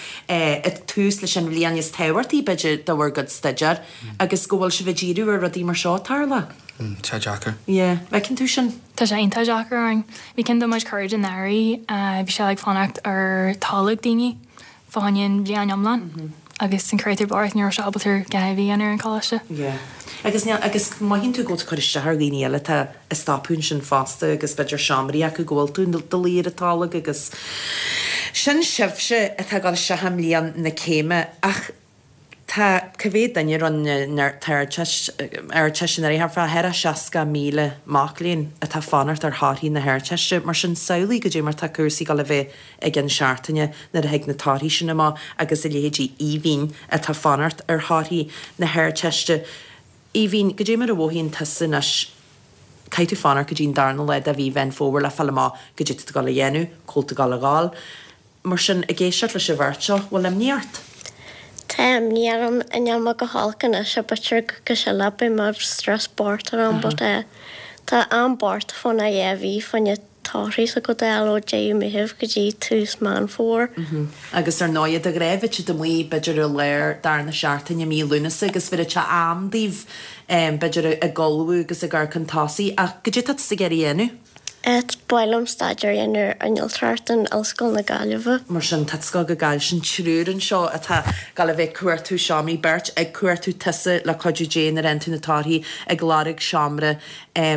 tús leis an bhliain is tábhachtaí b'fhéidir de bhur gcuid staidéir agus go bhfuil sibh ag díriú ar rudaí mar seo ag tarlú. Tá sé deacair. Yeah, feiceann tú sin? Tá sé iontach deacair orainn. Bhí ceann de mo chairde anuraidh, bhí sé ag fanacht ar tholg daoine fá choinne an bhliain iomlán agus an créatúr bocht ní raibh sé ábalta a dhath a dhéanamh ar an choláiste. Yeah. Agus níl, agus mothaíonn tú go bhfuil tú ag cur isteach ar dhaoine eile atá ag stopadh ansin fosta agus b'fhéidir seomraí acu go bhfuil tú i do luí ar an tolg agus sin sibhse atá ag dul isteach i mbliain na céime ach Tá cá mhéad duine a rinne an Ardteist anuraidh? Thart fá cheithre seasca míle mac léinn atá ag fanacht ar thorthaí na hArdteiste. Mar sin, samhlaigh goidé mar tá cúrsaí ag dul a bheith i gceann seachtaine nuair a thig na torthaí sin amach agus a leithéidí Aoibhinn atá ag fanacht ar thorthaí na hArdteiste. Aoibhinn, goidé mar a mhothaíonn tusa anois? Caithfidh tú fanacht go dtí an darna lá de mhí Mheán Fómhair le fáil amach goidé tá tú ag dul a dhéanamh, cá bhfuil tú ag dul a dhul. Mar sin, ag éisteacht leis an bheirt seo, bhfuil imní ort? Tá imní orm, níl mé go holc anois, b'fhéidir coicís eile beidh mé stress bocht orm but eh tá am bocht fá na dhá mhí fá na torthaí s'agat a fháil ó deireadh Meitheamh go dtí tús Meán Fómhair. Agus ar ndóighe de ghnáth bheadh siad amuigh b'fhéidir i lár darna seachtaine mí Lúnasa agus bheadh sé am daoibh b'fhéidir ag ullmhú agus ag amharc chun tosaigh ach goidé tá tusa ag iarraidh a dhéanamh? Ba mhaith liom staidéar a dhéanamh ar innealtóireacht in Ollscoil na Gaillimhe. Mar sin, tá tú ag gabháil go Gaillimh, sin triúr anseo atá ag gabháil a bheith ag cuartú seomraí, beirt ag cuartú tusa le cuidiú Dé nuair a fhaigheann tú na torthaí ag lorg seomra i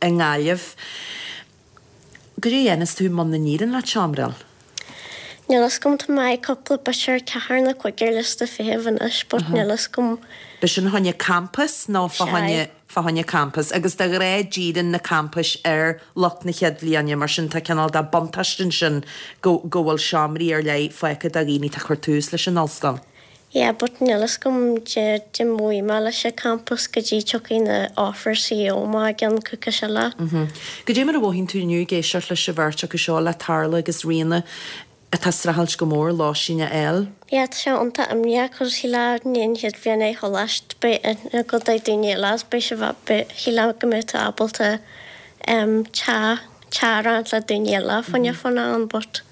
nGaillimh. Goidé a dhéanfas tú muna n-éiríonn leat seomra a fháil? Níl fhios agam, tá mé ag cúpla b'fhéidir ceathair nó cúig ar liosta feithimh anois but níl fhios agam. B'shin fá choinne campas nó fá choinne fá choinne campas agus de ghnáth díreann na campais ar lucht na chéad bhliana mar sin tá cineál de buntáiste ansin go go bhfuil seomraí ar leith fágtha do dhaoine atá ag cur tús leis an ollscoil. Yeah but níl fhios agam de de mbeidh mé leis an campas go dtí tiocfaidh na offers CEO amach i gceann coicís eile. Goidé mar a mhothaíonn tú inniu ag éisteacht leis an bheirt acu seo, le Tarla agus Ríona, atá ag streachailt go mór lóistín a fháil? Yeah tá sé iontach imníoch cos shílfeá i ndiaidh an chéad bhliain ar choláiste beidh aithne agat ar daoine eile is beidh sibh beidh shílfeá go mbeadh tú ábalta em teach teach a roinnt le daoine eile fá choinne fanacht ann but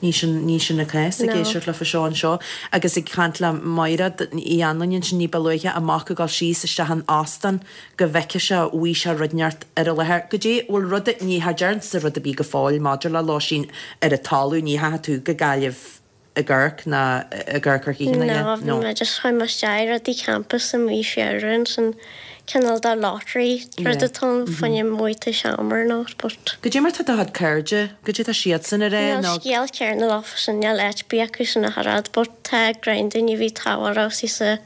Ní sin, ní sin an cás ag No. éisteacht leofa seo anseo agus ag caint le Mairéad Uí Anluain ansin ní ba luaithe, a mac ag dul síos isteach in óstán go bhfeicfeadh sé bhfaighidh sé rud inteacht ar an láthair. Goidé, bhfuil rud, ní cha deireann tusa rud ar bith go fóill maidir le lóistín ar an talamh, ní theachaigh tú go Gaillimh ag amharc ná ag amharc ar thithe ná No, bhí no. mé just chuaigh mé isteach i rudaí campus i mí Feabhra ansin cineál de lottery rud Yeah. atá ann fá choinne an bhfaighidh tú seomra or not but. Goidé mar tá do chuid cairde, goidé tá siadsan ag rá Níl nó. scéal céanna leofa sin, níl áit ar bith acu sin ach oiread but tá greim daoine a bhí tábhachtach sa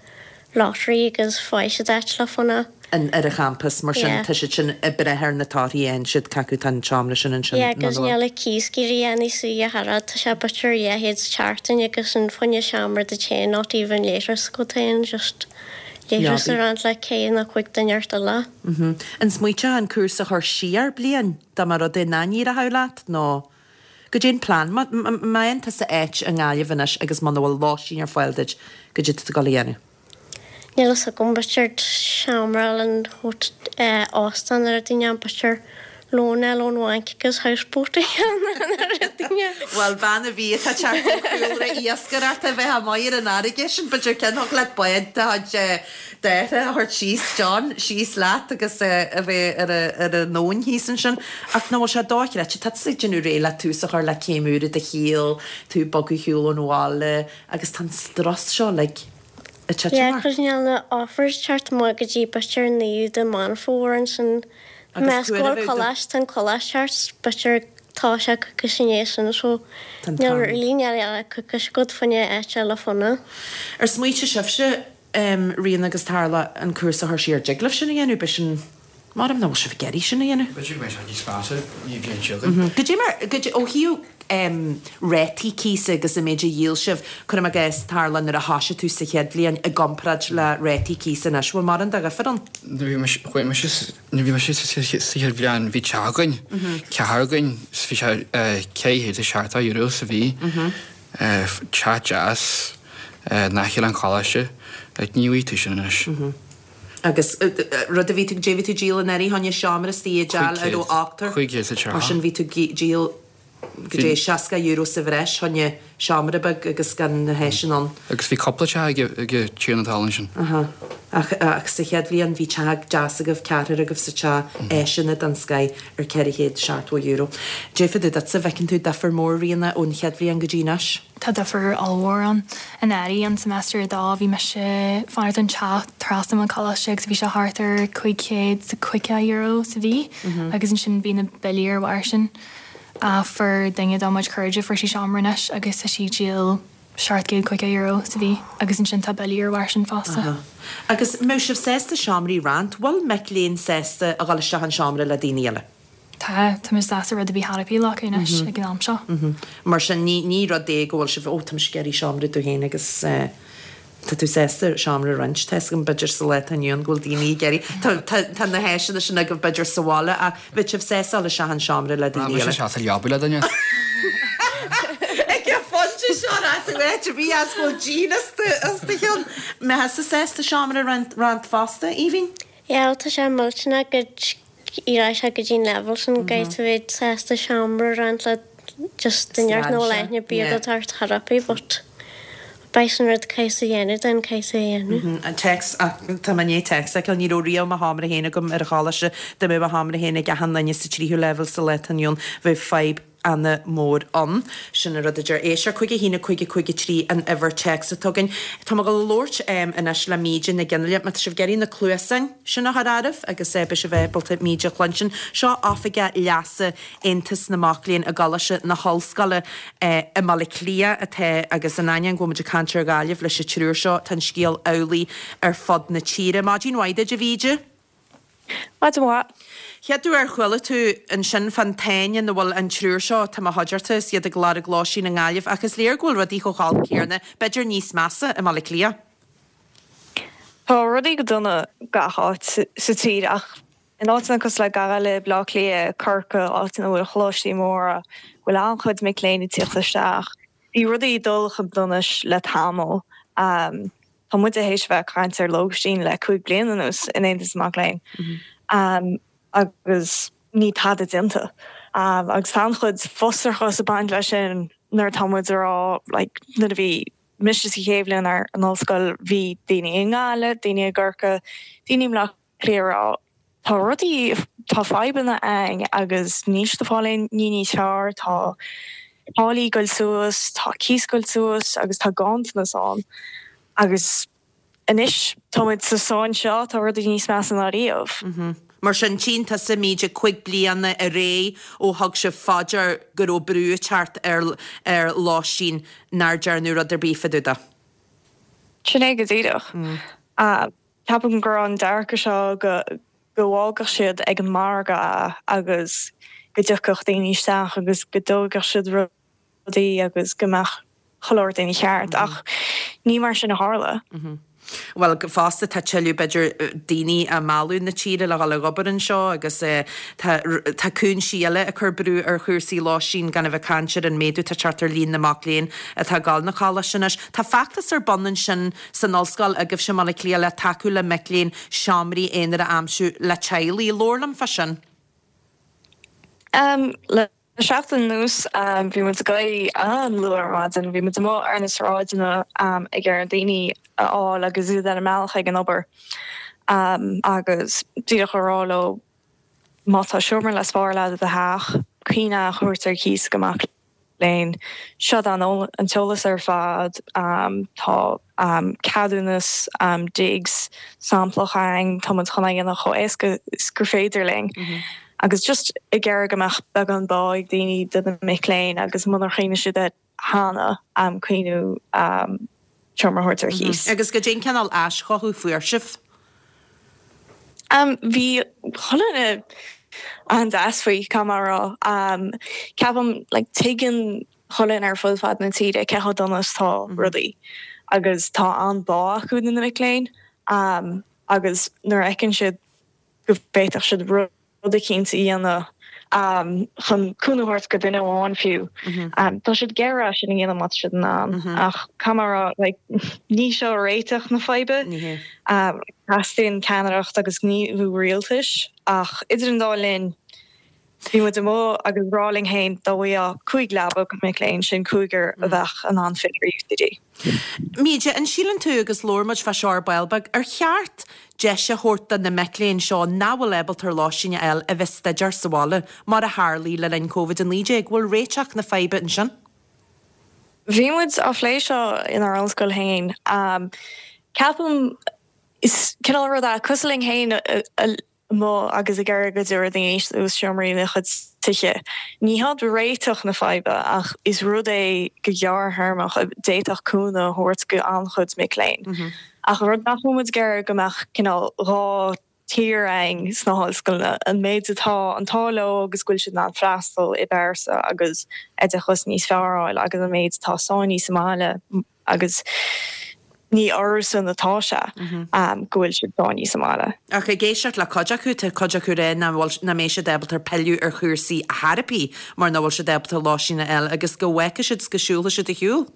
lottery agus fuair siad áit le fanacht. an ar an champas, mar sin Yeah. tá siad sin ag brath ar na torthaí a fhaigheann siad cé acu tá an seomra sin ansin Yeah, nó agus nach bhfuil. níl a cíos ag éirí níos saoire ach oiread, tá sé b'fhéidir dhá chéad sa tseachtain agus an fá choinne seomra duit féin, not even leithreas agat féin, just leithreas Leabaidh. a roinnt le ceithre nó cúig duine ort eile. Mhm. An smaoiteofá an cúrsa a chur siar bliain dá mba rud é nach n-éireodh leat nó goidé an plean? Má má fhaigheann tusa áit i nGaillimh anois agus muna bhfuil lóistín ar fáil duit, goidé tá tú ag dul a dhéanamh? Níl fhios agam b'fhéidir seomra in óstán ar daoine b'fhéidir lón eile ón bhanc agus houseboat a dhéanamh ar daoine. Bhuel bean a bhí atá ag teacht ó chúlra iascaireachta a bheith amuigh ar an fharraige sin b'fhéidir ceann thig leat bád de chuid d'athair a thabhairt síos John síos leat agus a bheith ar ar an abhainn thíos ansin. Ach nach bhfuil sé dochreidte tá tusa ag déanamh réidh le tús a chur le céim úr i do shaol, tú ag bogadh ar shiúl ón bhaile agus tá an strus seo like ag titim Yeah, ort. cos níl na offers teacht amach go dtí b'fhéidir naoú de Meán Fómhair ansin Agus meas cuair a go bhfuil bheith do- coláiste an coláiste thart b'fhéidir tá sé coicís i ndiaidh sin so Tá an níl t-am. really níl eile coicís agat fá choinne áit eile fanacht. Ar smaointigh sibhse um, Ríona agus Tarla an cúrsa a chur siar dtig libh sin a dhéanamh b'shin Maram nach bhfuil sibh ag iarraidh sin a dhéanamh. B'fhéidir go mbeidh sé níos measa an bhliain seo chugainn. Goidé mar, goidé, ó thaobh rátaí cíosa agus an méid a dhíol sibh, cuirim i gcás, tharla nuair a thoisigh tú sa chéad bhliain i gcomparáid le rátaí cíosa anois, bhfuil mórán de dhifear ann? Nuair a bhí mise, chuaigh mise, nuair a bhí mise sa chéad bhliain bhí teach againn, ceathrar againn, is bhí sé ceithre chéad is seachtó euro sa mhí, teach deas, in aice le an choláiste, like ní bhfaighidh tú sin anois. Agus rud a bhí tú, goidé bhí tú díol anuraidh, fá choinne seomra istigh i dteach a raibh ochtar. Cúig chéad is a tríocha. Mar sin bhí tú díol goidé seasca euro sa bhreis fá choinne seomra beag agus gan na háiseanna ann. Agus bhí cúpla teach ag ag tiarna talún sin. Aha. Ach ach sa chéad bhliain bhí teach deas agaibh, ceathrar agaibh sa teach, áiseanna den scoith ar ceithre chéad seachtó euro. Goidé fá dtaobh duitse, bhfeiceann tú difear mór Ríona ón chéad bhliain go dtí anois? Tá difear ollmhór ann. Anuraidh, an semester a dó, bhí mise ag fanacht in teach trasna ón choláiste agus bhí sé thart ar cúig chéad is caoga euro sa mhí agus ansin bhí na billí ar bharr sin. Fuair duine dá muid cairde, fuair sí seomra anois agus tá sí ag díol seacht gcéad caoga euro sa mhí agus ansin tá billí ar bharr sin fosta. Agus mbeadh sibh sásta seomraí a roinnt? Bhfuil mic léinn sásta a dhul isteach in seomra le daoine eile? Tá, tá muid sásta rud a bith thar a bith acu anois ag an am seo. Mar sin, ní, ní rud é go bhfuil sibh, ó, tá mise ag iarraidh seomra dom féin agus eh, tá tú sásta seomra a roinnt. Tá 'fhios agam b'fhéidir sa lá atá inniu ann go bhfuil daoine ag iarraidh, tá, tá, tá na háiseanna sin agaibh b'fhéidir sa bhaile ach bheadh sibh sásta dul isteach in seomra le Tá daoine mise eile. sásta leaba le duine. Ag an phointe seo raibh tú áit a bhí as go bhfuil díon as do, as do cheann. Mbeifeá sásta seomra a roinnt, roinnt fosta, Aoibhinn? Yeah, tá sé millteanach go ní raibh sé go dtí an leibhéal sin go bhfuil sásta seomra a roinnt le just duine ar nó aithne bíodh ag tabhairt therapy but beidh sin rud caithfidh a dhéanamh den caithfidh a dhéanamh. An téacs ach tá mé i ndiaidh téacs a fheiceáil ní raibh riamh mo sheomra féin agam ar an choláiste dá mbeadh mo sheomra féin ag achan duine sa tríú leibhéal sa lá atá inniu ann bheadh fadhb ana mhór ann. Sin an rud a deir Éisteoir cúig a haon a cúig a cúig a trí an uimhir téacs atá againn. Tá mé ag dul a labhairt anois le Míde Nic Fhionnghaile. Má tá sibh ag iarraidh na cluasáin sin a chur oraibh agus beidh sibh ábalta Míde a chluinstin. Seo Oifigeach Leasa Aontas na Mac Léinn i gColáiste na hOllscoile i mBaile Átha Cliath atá agus in ainneoin go bhfuil muid ag caint ar Ghaillimh leis an triúr seo, tá an scéal amhlaidh ar fud na tíre. Maidin mhaith duit, a Mhíde. Maidin mhaith. Chéad uair ar chuala tú ansin fán tsáinn ina bhfuil an triúr seo, atá i mo chuideachta is iad ag lorg lóistín i nGaillimh, ach is léir go bhfuil rudaí chomh holc céanna, b'fhéidir níos measa, i mBaile Átha Cliath. Tá rudaí go dona gach áit sa tír ach in áiteanna cosúil le Gaillimh, Baile Átha Cliath, Corcaigh, áiteanna a bhfuil coláistí móra, bhfuil an-chuid mic léinn ag tíocht isteach, bhí rudaí ag dul chun donais le tamall. Tá muid théis bheith ag caint ar lóistín le cúig bliana anuas in Aontas na Mac Léinn agus ní tada déanta. Agus tá an-chuid frustrachas ag baint leis sin nuair atá muid ag rá like nuair a bhí mise sa chéad bhliain ar an ollscoil bhí daoine i nGaillimh, daoine i gCorcaigh, daoine i mBleá Cliath ag rá tá rudaí, tá fadhbanna againn agus níl siad ag fáil aon ní níos fearr, tá táillí ag goil suas, tá cíos ag goil suas agus tá ganntanas ann. Agus anois tá muid sa sáinn seo, tá rudaí níos measa ná riamh. Mar sin, tchíonn tusa Míde cúig bliana ar aghaidh ó thug sibh fá dear go raibh brú ag teacht ar ar lóistín nár dearnadh rud ar bith fá dtaobh de. Sin é go díreach. Ceapaim go raibh an dearcadh seo go go bhfágfadh siad ag an margadh agus go dtiocfadh daoine isteach agus go dtógfadh siad rudaí agus go mbeadh chuile rud ina cheart ach ní mar sin a tharla. Bhuel, fosta tá tuilleadh b'fhéidir daoine á mealladh na tíre le dhul ag obair anseo agus tá tá cúinsí eile ag cur brú ar chúrsaí lóistín gan a bheith ag caint ar an méadú atá ag teacht ar líon na mac léinn atá ag dul na coláiste anois. Tá feachtas ar bun ansin san ollscoil agaibhse i mBaile Átha Cliath le tacú le mic léinn seomraí aonair a aimsiú le teaghlaigh. Labhair liom fá sin. Le seachtain anuas bhí muid ag éirí an-luath ar maidin, bhí muid amuigh ar na sráideanna ag iarraidh daoine a fháil agus iad ar a mbealach ag an obair agus díreach a rá leo má tá seomra le spáráil agat i do theach, cuimhnigh é a thabhairt ar cíos go mac léinn. Seo an t-eolas ar fad, tá ceadúnas digs samplach againn, tá muid chun é a dhéanamh chomh éasca is gur féidir linn. Agus just ag iarraidh go mbeadh beagán bá ag daoine do na mic léinn agus munar chuimhnigh siad air cheana, cuimhniú seomra a thabhairt ar cíos. Agus goidé an cineál aischothú a fuair sibh? Um, bhí chuile dhuine an-deas faoi caithfidh mé a rá. Um, ceapaim like, tuigeann chuile dhuine ar fud fad na tíre cé chomh dona is tá mm -hmm. rudaí agus tá an-bhá acu do na mic léinn um, agus nuair a fheiceann siad go bhféadfadh siad rud eicínt a dhéanamh um, chun cúnamh a thabhairt go duine amháin fiú. Mm -hmm. um, tá siad ag iarraidh sin a dhéanamh má tá siad in ann mm -hmm. ach caithfidh mé like, ní seo réiteach na faidhbe. Mm -hmm. um, Teastaíonn ceannaireacht agus gníomhú rialtais ach idir an dá linn bhí muid amuigh agus ag rá linn féin dá bhfaigheá cúig leaba go mic léinn sin cúigear a bheadh in ann filleadh ar UCD. Míde an síleann tú agus labhair muid fá seo ar ball beag ar cheart deis a thabhairt do na mic léinn seo nach bhfuil ábalta lóistín a fháil a bheith ag staidéar sa bhaile mar a tharlaigh le linn Covid a naoi déag bhfuil réiteach na faidhbe ansin? Bhí muid á phlé seo inár ollscoil féin. Um, ceapaim is cineál rud é cosúil linn féin amuigh agus ag iarraidh go dtabharfaidh daoine suas seomraí ina gcuid tithe. Ní hiad réiteach na faidhbe ach is rud é go gearrthéarmach a d'fhéadfadh cúnamh a thabhairt go an-chuid mic léinn. Mm -hmm. Ach rud nach bhfuil muid ag iarraidh go mbeadh cineál dhá tír ann sna hollscoileanna an méid atá an t-ádh leo agus go bhfuil siad in ann freastal i bpearsa agus oideachas níos fearr a fháil agus an méid atá sáinnithe sa mbaile agus ní orthusan atá sé go bhfuil siad sáinnithe sa mbaile. Ach ag éisteacht le cuid acu, tá cuid acu ag rá nach bhfuil nach mbeidh siad ábalta pilleadh ar chúrsaí ar chor ar bith mar nach bhfuil siad ábalta lóistín a fháil agus go bhfeicfidh siad 's go siúlfaidh siad ar shiúl.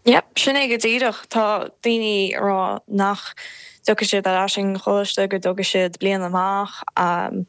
Yep, sin é go díreach. Tá daoine ag rá nach dtiocfaidh siad ar ais ag an choláiste, go dtógfaidh siad bliain amach um,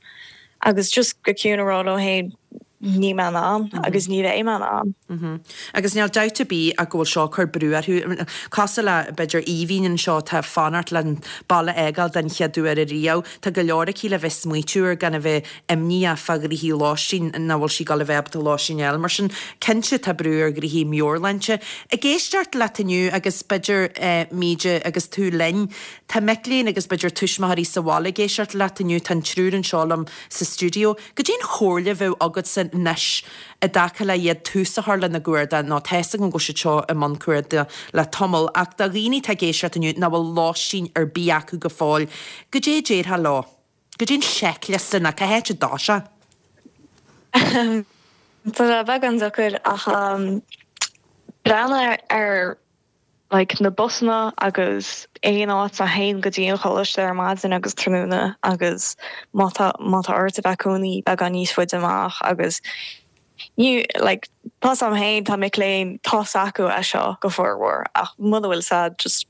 agus just go ciúin a rá leo féin níl mé in ann agus ní bheidh mé in ann. Mm -hmm. Agus níl dabht ar bith ach go bhfuil seo ag cur brú orthu. Cosúil le b'fhéidir Aoibhinn anseo tá fanacht le an baile a fhágáil den chéad uair ariamh. Tá go leor aici le bheith smaoitiú ar gan a bheith imníoch fá ghnoithí lóistín nach bhfuil sí ag gabháil a bheith ábalta lóistín a fháil. Mar sin cinnte tá brú ar ghnoithí meabhairshláinte. Ag éisteacht leat inniu agus b'fhéidir eh, Míde agus tú linn, tá mic léinn agus b'fhéidir tuismitheoirí sa bhaile ag éisteacht leat inniu tá an triúr anseo liom sa stiúideo. Goidé an chomhairle a bheadh agatsa anois i dtaca le iad tús a chur lena gcuardach nó tá a fhios agam go bhfuil siad seo i mbun cuardaigh le tamall ach do dhaoine atá ag éisteacht inniu nach bhfuil lóistín ar bith acu go fóill. Goidé a déarfá leo. Goidé an seicliosta nó cá háit a dtosófá. Tá sé beagán deacair ach um, breathnaigh ar like, na busanna agus aon áit a théann go dtí an choláiste ar maidin agus tráthnóna agus má tá má tá ort a bheith cónaí beagán níos faide amach agus ní like, tá am féin tá mic léinn tá acu é seo go formhór ach muna bhfuil sad just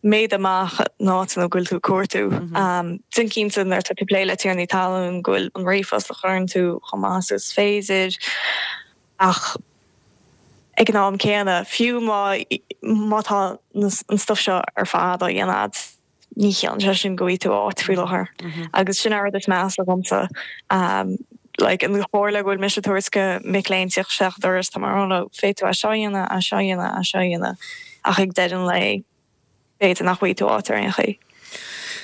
méid amach ná nó go bhfuil tú cuartú. Mm -hmm. um, Déan cinnte nuair tá tú ag plé le tiarnaí talún go bhfuil an ríomhphost a chuireann tú chomh maith is féidir ach ag an am céanna fiú má má tá an stuff seo ar fad á dhéanamh ní chiallaíonn sé sin go bhfaighidh tú áit faoi láthair mm-hmm. agus sin an rud is measa dhomsa um, like an chomhairle go bhfuil mise ag tabhairt go mic léinn teacht isteach doras tá mar féadfaidh tú é seo a dhéanamh é seo a dhéanamh é seo a dhéanamh ach ag deireadh an lae b'fhéidir nach bhfaighidh tú áit ar aon chaoi.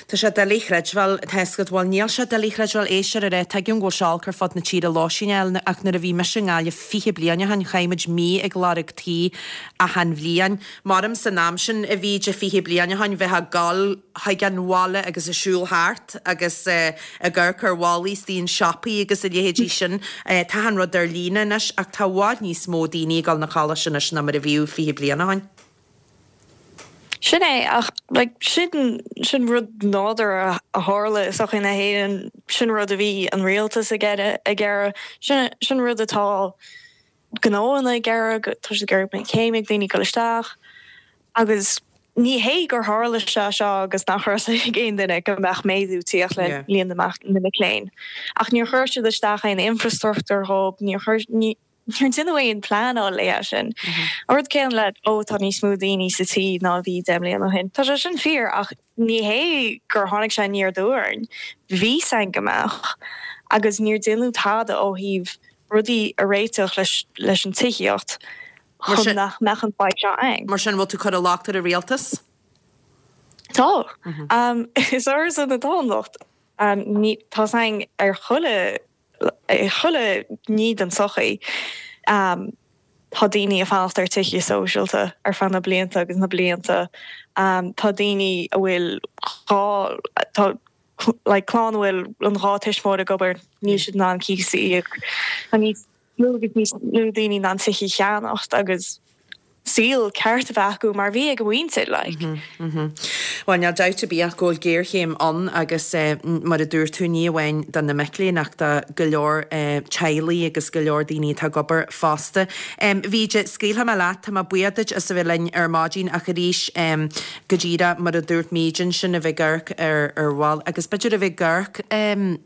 Tá sé doiligh a chreidbheáil tá bhfuil níl sé doiligh a chreidbheáil éisteoir ar tuigim go bhfuil sé olc ar fud na tíre lóistín a fháil ach nuair a bhí mise i nGaillimh fiche bliain ó shin chaith muid mí ag lorg tí achan bhliain. Maram san am sin a bhí de fiche bliain ó shin bheith ag gabháil chuig an bhaile agus ag siúl thart agus uh, ag amharc ar bhallaí sna siopaí agus a leithéidí sin uh, tá an rud ar líne anois ach tá i bhfad níos mó daoine ag dul na coláiste anois ná mar a bhí fiche bliain ó shin. Sin é ach like, sin sin rud nádúrtha a tharla i sochaí na hÉireann sin rud a bhí an rialtas ag iarraidh sin sin rud atá gnóanna ag iarraidh tá siad ag iarraidh céim ag daoine dul isteach agus ní hé gur tharla sé seo agus nach raibh ag aon duine go mbeadh méadú ag teacht le líon na na mic léinn. Ach níor chuir siad isteach aon infrastruchtúr dhóibh níor chuir ní Níor deineadh aon pleanáil le sin. An rud céanna le ó tá níos mó daoine sa tí ná bhí deich mbliana ó shin. Tá sé sin fíor ach ní hé gur tháinig sé aniar aduaidh orainn. Bhí a fhios againn go mbeadh agus níor deineadh tada ó thaobh rudaí a réiteach leis leis an tithíocht chun nach mbeadh an fhadhb seo ann. Mar sin bhfuil tú ag cur an locht ar an rialtas? Tá. Um, is orthusan atá an locht. Um, ní tá an ar chuile chuile ní den sochaí um, tá daoine ag fanacht ar tithe sóisialta ar feadh na blianta agus na blianta. Um, tá daoine a bhfuil dhá dhá tá like clann a bhfuil an dhá tuismitheoir ag obair níl siad in ann cíos a íoc tá níos mó agus níos lú daoine in ann tithe a cheannacht agus saol ceart a bheith acu mar bhí ag a mhuintir like. Bhuel, níl dabht ar bith ach go bhfuil géarchéim ann agus mar a dúirt tú, ní amháin do na mic léinn ach do go leor teaghlaigh agus go leor daoine atá ag obair fosta. Mhíde, scaoilfidh mé leat, tá mé buíoch duit as a bheith linn ar maidin ach arís go díreach mar a dúirt Míde ansin a bheith ag amharc ar ar bhail agus b'fhéidir a bheith ag amharc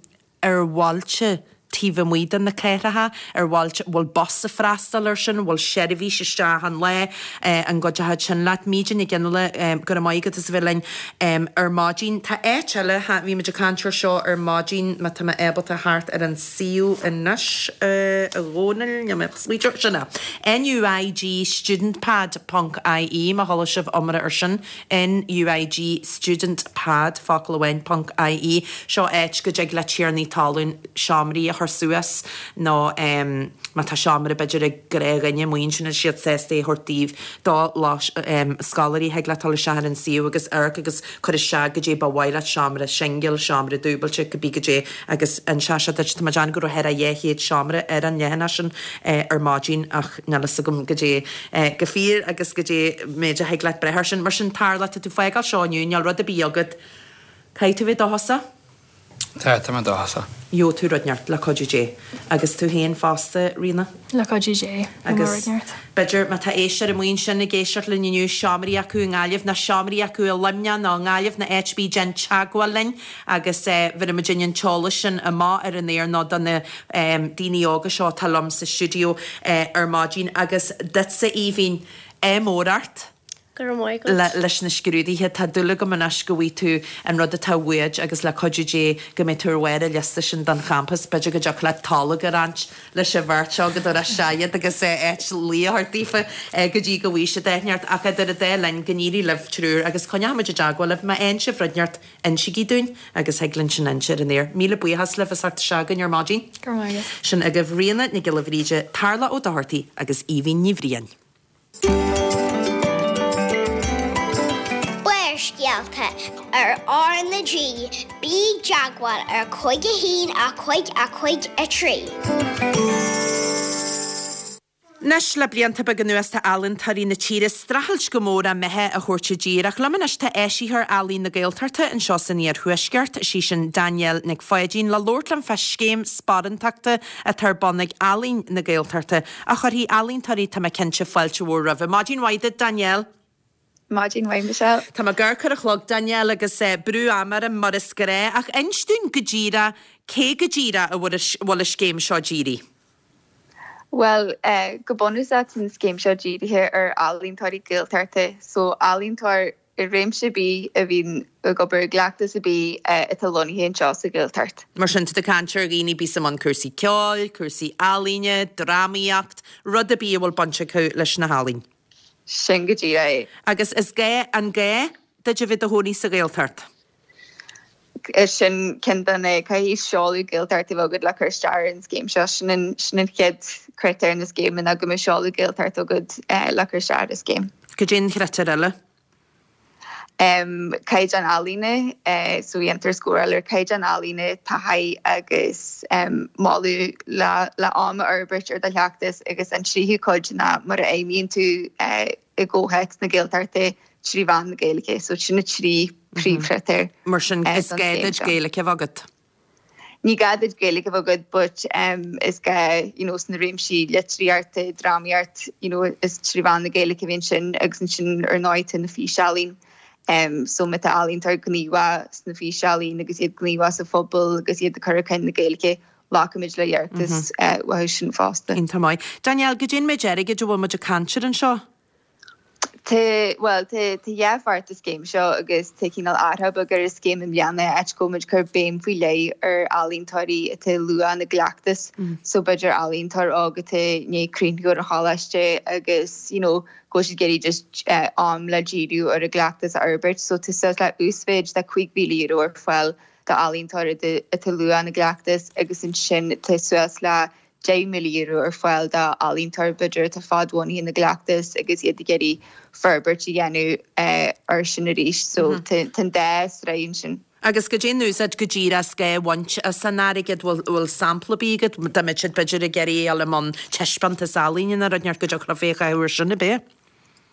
ar bhailte taobh amuigh de na cathracha, ar bhailte, bhfuil bus ag freastal air sin, bhfuil seirbhís isteach achan lá, an gcuideochadh sin leat? Míde Nic Fhionnghaile, go raibh maith agat as a bheith linn ar maidin. Tá áit eile, bhí muid ag caint air seo ar maidin, má tá mé ábalta theacht ar an suíomh anois, a Dhónaill, níl mé ach smaointiú, sin é, NUIG studentpad ponc IE, má chuala sibh iomrá air sin, NUIG studentpad, focal amháin, ponc IE, seo áit go dtig le tiarnaí talún seomraí a chur suas nó má tá seomra b'fhéidir ag gnáthdhuine amuigh ansin tá siad sásta é a thabhairt daoibh do scoláirí thig leat dul isteach ar an suíomh agus amharc agus cur isteach goidé ba mhaith leat seomra singil, seomra dúbailte, cibé goidé agus inseoidh sé duit. Tá mé ag déanamh go raibh thar a dhá chéad seomra ar an leathanach sin ar maidin ach níl fhios agam goidé go fíor agus goidé méid a thig leat breith air sin. Mar sin Tarlach, tá tú ag fágáil seo inniu, níl rud ar bith agat. Caithfidh tú bheith dóchasach. Tá, tá mé dóchasach. Gheobhaidh tú rud inteacht, le cuidiú Dé. Agus tú féin fosta, Ríona? Le cuidiú Dé, gheobhaidh mé rud inteacht. B'fhéidir, má tá éisteoir amuigh ansin ag éisteacht linn inniu, seomraí acu i nGaillimh, nó seomraí acu i Luimneach nó i nGaillimh nó áit ar bith, déan teagmháil linn agus bhéarfaidh muidinne an t-eolas sin amach ar an aer nó do na daoine óga seo atá liom sa stiúideo ar maidin. Agus duitse, Aoibhinn, ádh mór ort. Go raibh maith agat. leis na scrúduithe. Tá dúil agam anois go bhfaighidh tú an rud atá uait agus le cuidiú Dé go mbeidh tú ar bharr an liosta sin don champas. B'fhéidir go dtiocfadh leat tolg a roinnt leis an bheirt seo go dtabharfá isteach iad agus áit luí a thabhairt daofa go dtí go bhfaighidh siad áit inteacht. Ach idir an dá linn, go n-éirí libh triúr agus coinneoidh muid i dteagmháil libh. Má fhaigheann sibh rud inteacht, insígí dúinn agus thig linn sin a inse ar an aer. Míle buíochas libh as theacht isteach chugainn ar maidin. Go raibh maith agat. Sin agaibh Ríona Nic Giolla Bhríde, Tarlach Ó Dochartaigh agus Aoibhinn Ní Bhriain. Barrscéalta ar R na G, bí i dteagmháil ar cúig a haon a cúig a cúig a trí. Anois le blianta beaga anuas tá ealaíontóirí na tíre ag streachailt go mór a mbeatha a thabhairt i dtír ach liom anois tá eisitheoir Ealaín na Gaeltachta anseo san Iarthuaisceart, sí sin Danielle Nic Pháidín, le labhairt liom fá scéim sparántachta atá ar bun ag Ealaín na Gaeltachta a chuirfidh ealaíontóirí, tá mé cinnte, fáilte mhór roimhe. Maidin mhaith duit, Danielle. Maidin mhaith, Michelle. Tá mé gar ar an chlog, Danielle, agus brú ama orm mar is gnáth, ach inis dúinn go díreach cé go díreach a bhfuil an scéim seo dírithe? Bhuel, go bunúsach tá an scéim seo dírithe ar ealaíontóirí Gaeltachta, so ealaíontóir i réimse ar bith a bhíonn ag obair i gcleachtas ar bith atá lonnaithe anseo sa Ghaeltacht. Mar sin, tá tú ag caint ar dhaoine a bíos i mbun cúrsaí ceoil, cúrsaí ealaíne, drámaíocht, rud ar bith a bhfuil baint acu leis na healaín. Sin go díreach é. Agus is gá, an gá duit a bheith i do chónaí sa Ghaeltacht? Sin ceann de na, caithfidh seoladh Gaeltachta a bheith agat le cur isteach ar an scéim seo. Sin an, sin an chéad chritéar na scéime ná go mbeadh seoladh Gaeltachta agat le cur isteach ar an scéim. Cad é an critéar eile? Caighdeán ealaíne, so dhéantar scóráil ar caighdeán ealaíne, taithí agus moladh le le am a fhorbairt ar do chleachtas agus an tríú cuid ná mar a fheidhmíonn tú i gcomhthéacs na Gaeltachta trí mheán na Gaeilge. So sin na trí príomhchritéir. Mar sin is gá duit Gaeilge a bheith agat? Ní gá duit Gaeilge a bheith agat but is gá you know sna réimsí litríochta, drámaíocht, you know is trí mheán na Gaeilge a bhíonn sin agus ansin ar ndóigh tá na físealaín so má tá ealaíontóir gníomhach sna físealaín agus iad gníomhach sa phobal agus iad ag cur chun cinn na Gaeilge, glacaimid le hiarratais uathu sin fosta. Iontach maith. Danielle, goidé an méid airgid a bhfuil muid ag caint air anseo? Tá, bhuel, tá tá dhá pháirt den scéim seo agus tá cineál athrú beag ar an scéim i mbliana, áit go bhfuil muid ag cur béim faoi leith ar ealaíontóirí atá luath ina gcleachtas. So b'fhéidir ealaíontóir óg atá i ndiaidh críochnú ar an choláiste agus, you know, go bhfuil siad ag iarraidh just am le díriú ar a gcleachtas a fhorbairt. So tá suas le uasmhéid de cúig mhíle euro ar fáil d'ealaíontóir atá luath ina gcleachtas agus ansin tá suas le deich míle euro ar fáil d'ealaíontóir b'fhéidir atá fadbhunaithe ina gcleachtas agus iad ag iarraidh forbairt a dhéanamh air sin arís so tá an dá sraith ansin. Agus goidé an úsáid go díreach is gá a bhaint as an airgead, bhfuil bhfuil sampla ar bith agat dá mbeadh siad b'fhéidir ag iarraidh a dhul i mbun taispeántas ealaíne nó rud inteacht go dtiocfadh leo é a chaitheamh ar sin, ab é?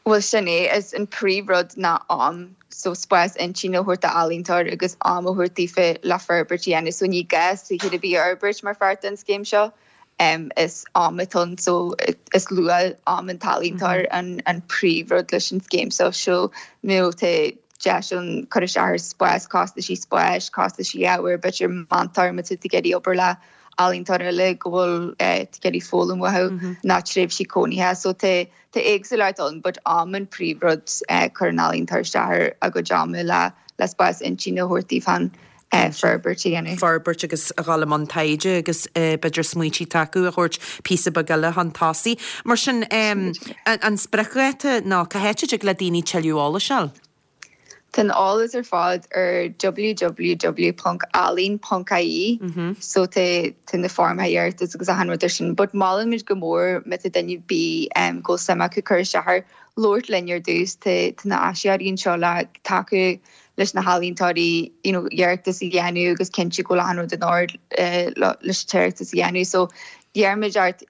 Bhuel sin é, is an príomh rud ná am, so spás intinne a thabhairt d'ealaíontóir agus am a thabhairt daofa le forbairt a dhéanamh, so ní gá saothar ar bith a fhorbairt mar pháirt den scéim seo, is am atá ann, so is luach am an t-ealaíontóir an an príomh rud leis an scéim seo, so nó tá deis ann cur isteach ar spás, costaisí spáis, costaisí ábhair, b'fhéidir meantóir má tá tú ag iarraidh obair le ealaíontóir eile go bhfuil tú ag iarraidh foghlaim uathu ná tréimhsí cónaithe. So tá tá éagsúlacht ann but am an príomhrud cuireann ealaíontóir isteach ar a gcuid ama le le spás intinne a thabhairt daofa forbairt a dhéanamh. forbairt agus a dhul i mbun taighde agus b'fhéidir smaointí atá acu a thabhairt píosa beag eile chun tosaigh. Mar sin an spriocdháta nó cá háit a dtig le daoine tuilleadh eolais a fháil? Tá an eolas ar fad ar www ponc ealaín ponc ie so tá tá na foirmeacha iarratais agus achan rud ar sin but molaimid go mór má tá duine ar bith go bhfuil suim acu cur isteach air labhairt linn ar dtús tá tá na áisitheoirí anseo le tacú leis na healaíontóirí you know iarratas a dhéanamh agus cinntiú go bhfuil achan rud in ord leis an t-iarratas a dhéanamh so iarraimid ort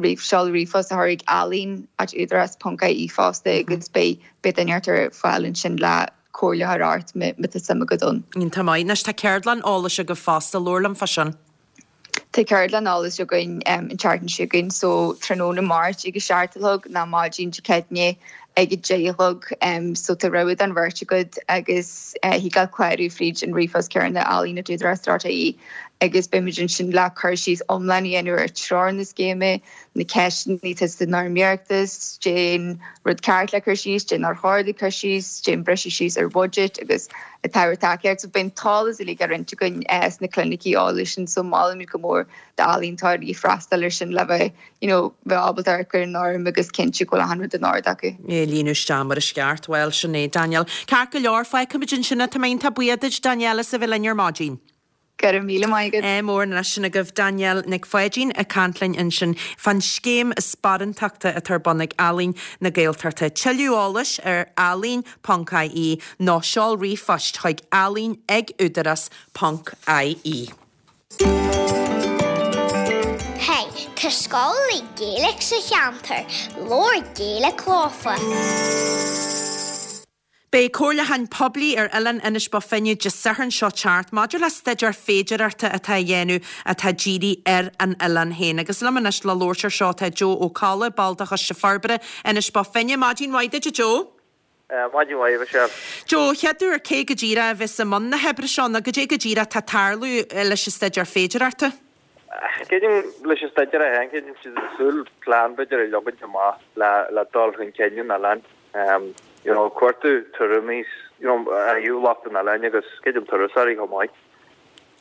ríomh seoladh ríomhphost a chur ag ealaín at údarás ponc ie fosta agus beidh beidh duine ar fáil ansin le comhairle a chur ort má tá suim agat ann. Iontach maith. Anois tá ceardlann eolais agaibh fosta, labhair liom fá sin. Tá ceardlann eolais againn an tseachtain seo chugainn so tráthnóna Máirt ag a seacht a chlog nó maidin Dé Céadaoine ag a deich a chlog so tá rogha den bheirt agat agus thig leat clárú fríd an ríomhphost céanna ealaín at údarás dot ie agus beimid ansin le cur síos iomlán a dhéanamh ar treoir na scéime, na ceisteanna atá san fhoirm iarratais, cén rud ceart le cur síos, cén nár chóir le cur síos, cén briseadh síos ar bhuiséad agus an t-ábhar tacaíochta. So beidh an t-eolas uilig á roinnt againn sna clinicí eolais sin so molaimid go mór d'ealaíontóirí freastal air sin le bheith you know bheith ábalta amharc ar an fhoirm agus cinntiú go bhfuil achan rud in ord acu. É a líonadh isteach mar is ceart. Bhuel, sin é, Danielle. Ceart go leor, fágfaimid ansin é. Tá mé iontach buíoch duit, Danielle, as a bheith linn ar maidin. Go raibh míle maith agat. Ádh mór anois sin agaibh Danielle Nic Pháidín ag caint linn ansin fán scéim sparántachta atá ar bun ag Ealaín na Gaeltachta. Tuilleadh eolais ar ealaín ponc ie nó seol ríomhphost chuig ealaín ag údarás ponc ie. Hey, tá scoil Gaeilge sa cheantar, labhair Gaeilge leofa. Beidh comhairliúchán poiblí ar oileán Inis Bó Finne Dé Sathairn seo teacht maidir le staidéar féidearthachta atá á dhéanamh atá dírithe ar an oileán féin. Agus liom anois le labhairt ar seo tá Joe Ó Colla, ball de Choiste Forbartha Inis Bó Finne. Maidin mhaith duit, a Joe. Maidin mhaith, a Mhichelle. Joe, chéad uair cé go díreach a bheas i mbun na hoibre seo nó goidé go díreach atá ag tarlú leis an staidéar féidearthachta? Creidim leis an staidéar é féin, creidim siad ag súil plean b'fhéidir a leagaint amach le le dul chun cinn an oileáin. You know, cuartú tuairimí, you know, ó thaobh lucht an oileáin agus creidim turasóirí chomh maith.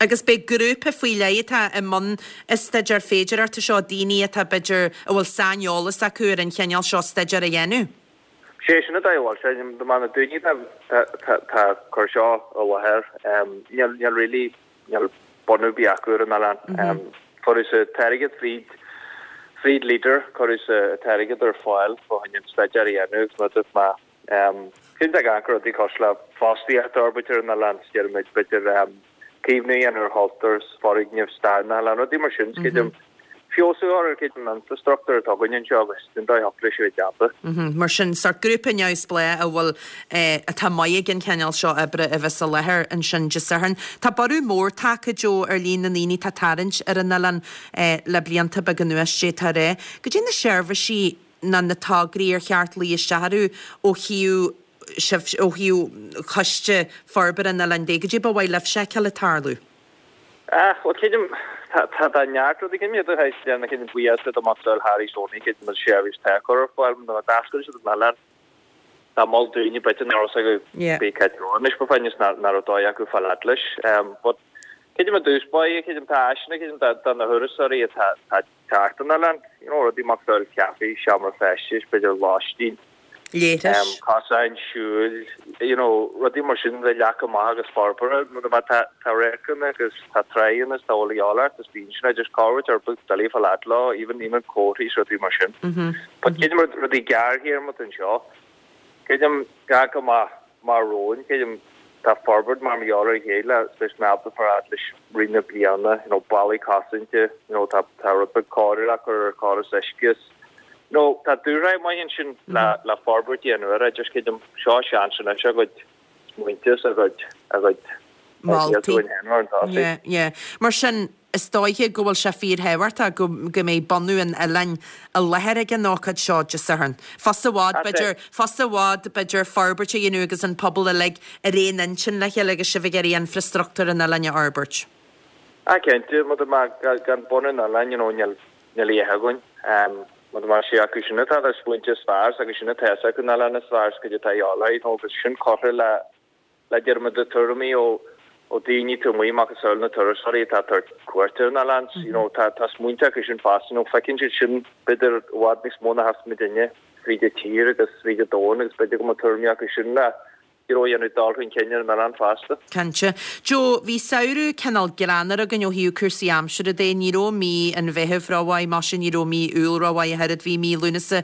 Agus beidh grúpa faoi leith atá i mbun an staidéar féidearthachta seo, daoine atá b'fhéidir a bhfuil saineolas acu ar an chineál seo staidéar a dhéanamh. Sé sin an dóigh a bhfuil sé, de mar na daoine atá atá ag cur seo i láthair, níl níl really níl bunú ar bith acu ar an oileán. Cuireadh sa t-airgead fríd fríd Leader, cuireadh sa t-airgead ar fáil fá choinne an staidéar a dhéanamh agus mar a dúirt mé, cinnte gan gur rudaí cosúil le fostaíocht a fhorbairt ar an oileán, is déarfaimid b'fhéidir caomhnú a dhéanamh ar chultúr, foirgnimh, stair na hoileáin, rudaí mar sin, creidim feabhsú a chur ar creidim an infrastruchtúr atá againn anseo agus den dóigh a thiocfadh leis a bheith déanta. Mar sin, sórt grúpa neamhspleách a bhfuil, atá maith ag an chineál seo oibre a bheas i láthair ansin Dé Sathairn. Tá borradh mór tagtha, Joe, ar líon na ndaoine atá ag tarraingt ar an oileán le blianta beaga anuas, d'fhéadfá a rá. Goidé na seirbhísí nó na tograí ar cheart luí isteach orthu ó thaobh sibh, ó thaobh choiste forbartha an oileáin de, goidé ba mhaith libhse a fheiceáil ag tarlú? Ach, bhuel, creidim, tá, tá, tá neart rudaí, creidim iad a théis déanamh, creidim buíochas do Mac Dóil Harry Stoney, creidim an seirbhís atá á cur ar fáil, nó d'oscail siad an oileán, tá moll daoine b'fhéidir nach raibh acu Yeah. bith cá dtreo anois ba fáinne is nach raibh dóigh acu fáil fhad leis. But creidim i dtús báire, creidim tá áiseanna, creidim do, do na thurasóirí atá, atá ag teacht an oileán, you know, rudaí Mac Dóil, caife, seomra feistis, b'fhéidir lóistín, Leithris. Cosáin siúil, you know, rudaí mar sin le leagan amach agus forbartha, nó má tá tá radharcanna agus tá tráigheanna is tá uile gheall ort is bíonn sin just cabhair ar bith doiligh fáil fhad leo, even even comharthaí is rudaí mar sin. But creidim rudaí gearrthéarma anseo, creidim gach go maith mar romhainn, creidim tá forbairt mar gheall ar a chéile leis na ábalta far fhad leis rith na bliana, you know, ballaí cosanta, you know, tá tá rud beag cóireáil le cur ar chóras uisce is, you know, tá dúshraith maith ansin le le forbairt a dhéanamh air, just creidim seo seans anois a gcuid smaointe is a gcuid a gcuid Moltaí. Yeah, yeah. Mar sin, is dóiche go bhfuil sé fíorthábhachtach go go mbeidh bunú an oileáin i láthair ag an ócáid seo Dé Sathairn. Fusa i bhfad, b'fhéidir, fusa i bhfad, b'fhéidir, forbairt a dhéanamh agus an pobal uilig ar aon intinn le chéile agus sibh ag iarraidh infreastruchtúr an oileáin a fhorbairt. Ah, cinnte, mar má gan bunú an oileáin, you know, níl níl a dhath againn. Mar má sé acu sin atá na smaointe is fearr, agus sin atá acu an oileán is fearr, is cuid atá a fháil, you know, agus sin curtha le le déarfaidh muid tuairimí ó ó daoine taobh amuigh macasamhail na turasóirí atá ag tabhairt cuairt ar an oileán. You know, tá tá smaointe acu sin fosta, you know, feiceann siad sin b'fhéidir i bhfad níos mó ná a fheicfeas muidinne fríd an tír agus fríd an domhan agus b'fhéidir go mbeadh tuairimí acu sin le you know, dhéanamh dul chun cinn ar an oileán fosta. Cinnte. Joe, bhí samhradh cineál greannmhar againn ó thaobh cúrsaí aimsire de. Ní raibh mí an Mheithimh rómhaith, maise ní raibh mí Iúil rómhaith ach oiread, bhí mí Lúnasa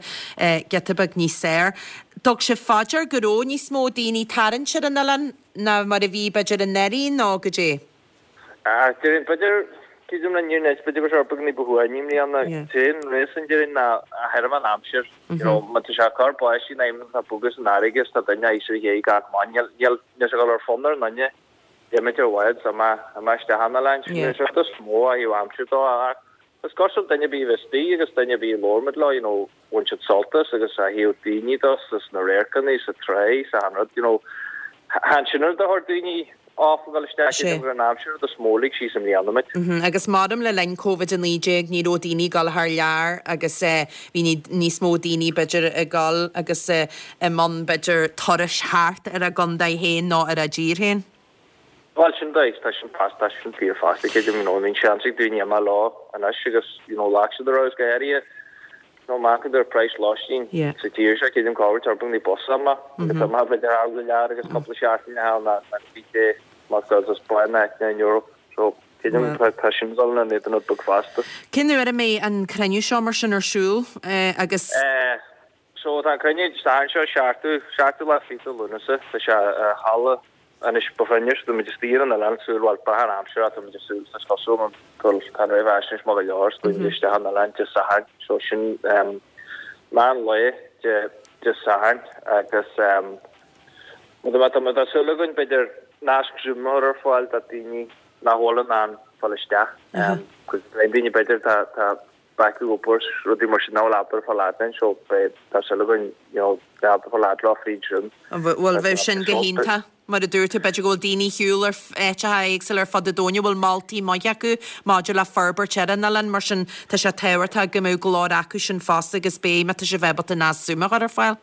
giota beag níos fearr. Dtug sibh fá dear go raibh níos mó daoine tarraingt ar an oileán ná mar a bhí b'fhéidir anuraidh nó goidé? Ah, déarfainn b'fhéidir, creidim le níor nit, b'fhéidir go raibh beag ní ba shuaimhní i mbliana. Téann réas an déarfainn ná a thirim an aimsir. You know, má tá sé ag cur báistí in aimsir tá bogadh san fharraige is tá duine aois ar ghéag gach maidin. Níl, níl, níl sé ag dul ar fonn ar an nduine imint ar bhád is imeacht, imeacht isteach an oileán. Sin an rud is mó a thaobh aimsir dó ach Is cosúil duine ar bith a bhí istigh agus duine ar bith a labhair muid leo, you know, bhain siad sult as agus a thaobh daoine de is na radharcanna is an tráigh is achan rud, you know, chan sin rud a chuir daoine off a dhul isteach i an aimsir rud is mó lig síos i mbliana muid. Agus maram le linn Covid a naoi déag ní raibh daoine ag dul thar lear agus bhí níos mó daoine b'fhéidir ag dul agus i mbun b'fhéidir turais thart ar a gcontae féin nó ar a dtír féin. Bhuel, sin dóigh, tá sin fosta, tá sin fíor fosta, creidim, you know, bíonn seans ag daoine imeacht leo anois agus, you know, ghlac siad a raibh is go háirithe, you know, amach idir praghas lóistín sa tír seo, creidim cá bhfuil turbing ní bus ama, agus tá maith b'fhéidir thar go lear agus cúpla seachtain a ná ná bhí sé mar go is bain áit in Europe, so creidim tá tá sin dul na ní don beag fosta. Cén uair a mbeidh an cruinniú seo mar sin ar siúl agus? Eh, so tá an cruinniú Dé Sathairn seo, seachtú, seachtú lá fichead de Lúnasa, tá sé i halla Anois ba chruinne, tá muid istigh ar an oileán súil, bhuel, beatha an aimsir, tá muid ag súil, is cosúil go bhfuil tá an réamhaisnéis maith go leor, is muid istigh ar an oileán Dé Sathairn, so sin meán lae Dé Dé Sathairn agus má tá tá súil againn b'fhéidir nasc Zoom a chur ar fáil do daoine nach bhfuil in ann fáil isteach, cos daoine b'fhéidir tá tá bac ag obair is rudaí mar sin nach bhfuil ábalta fáil fhad linn so beidh tá súil againn you know bheith ábalta fáil fhad leo fríd Zoom. Bhuel bheadh sin go hiontach. Mar a dúirt tú b'fhéidir go bhfuil daoine ar shiúl ar áiteacha éagsúla ar fud an domhain a bhfuil moltaí maithe acu maidir le forbairt ar an oileán mar sin tá sé tábhachtach go mbeadh glór acu sin fosta agus beidh má tá sibh ábalta nasc Zoom a chur ar fáil.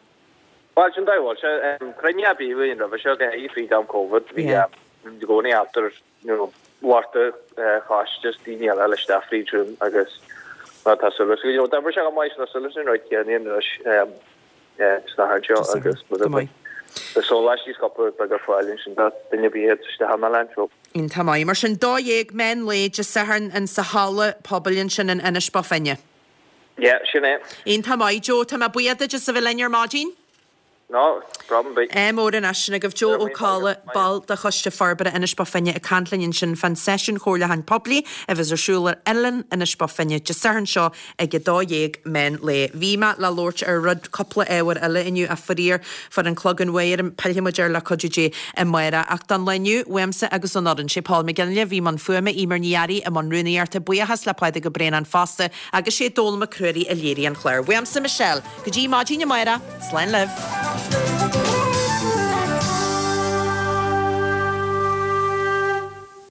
Bhuel sin dóigh bhuel sé cruinniú a bhí againn roimhe seo go háirithe fríd am Covid bhí i gcónaí ábalta you know lucht an choiste is daoine eile le isteach fríd Zoom agus ná tá súil you know d'oibrigh sé go maith so tá súil leis an rud céanna anois sna seo agus Go maith. Tá sóláistí scopa beag ar fáil ansin do duine ar bith atá istigh an oileán so. Iontach maith. Mar sin, dó dhéag meán lae Dé Sathairn in sa halla pobail ansin in Inis Bó Finne. Yeah, sin é. Iontach maith, Joe. Tá mé buíoch duit as a bheith linn ar maidin. No, problem ar bith. Ádh mór anois. Sin agaibh Joe Ó Colla, ball de Choiste Forbartha Inis Bó Finne ag caint linn ansin fán seisiún comhairliúcháin poiblí a bheas ar siúl ar Oileán Inis Bó Finne Dé Sathairn seo ag a dó dhéag meán lae. Bhí mé le labhairt ar rud cúpla ábhar eile inniu ach faraor fuair an clog an uair orm, pillfidh muid air le cuidiú Dé amárach. Ach don lá inniu, uaimse agus ón fhoireann, sé Paul McGinley a bhí i mbun fuaime, Eimear Ní Fhearraigh i mbun rúnaíochta, buíochas le Pádraig Ó Braonáin fosta agus sé Dónal Mac Ruairí a léirigh an clár. Uaimse Michelle, go dtí maidin amárach, slán libh.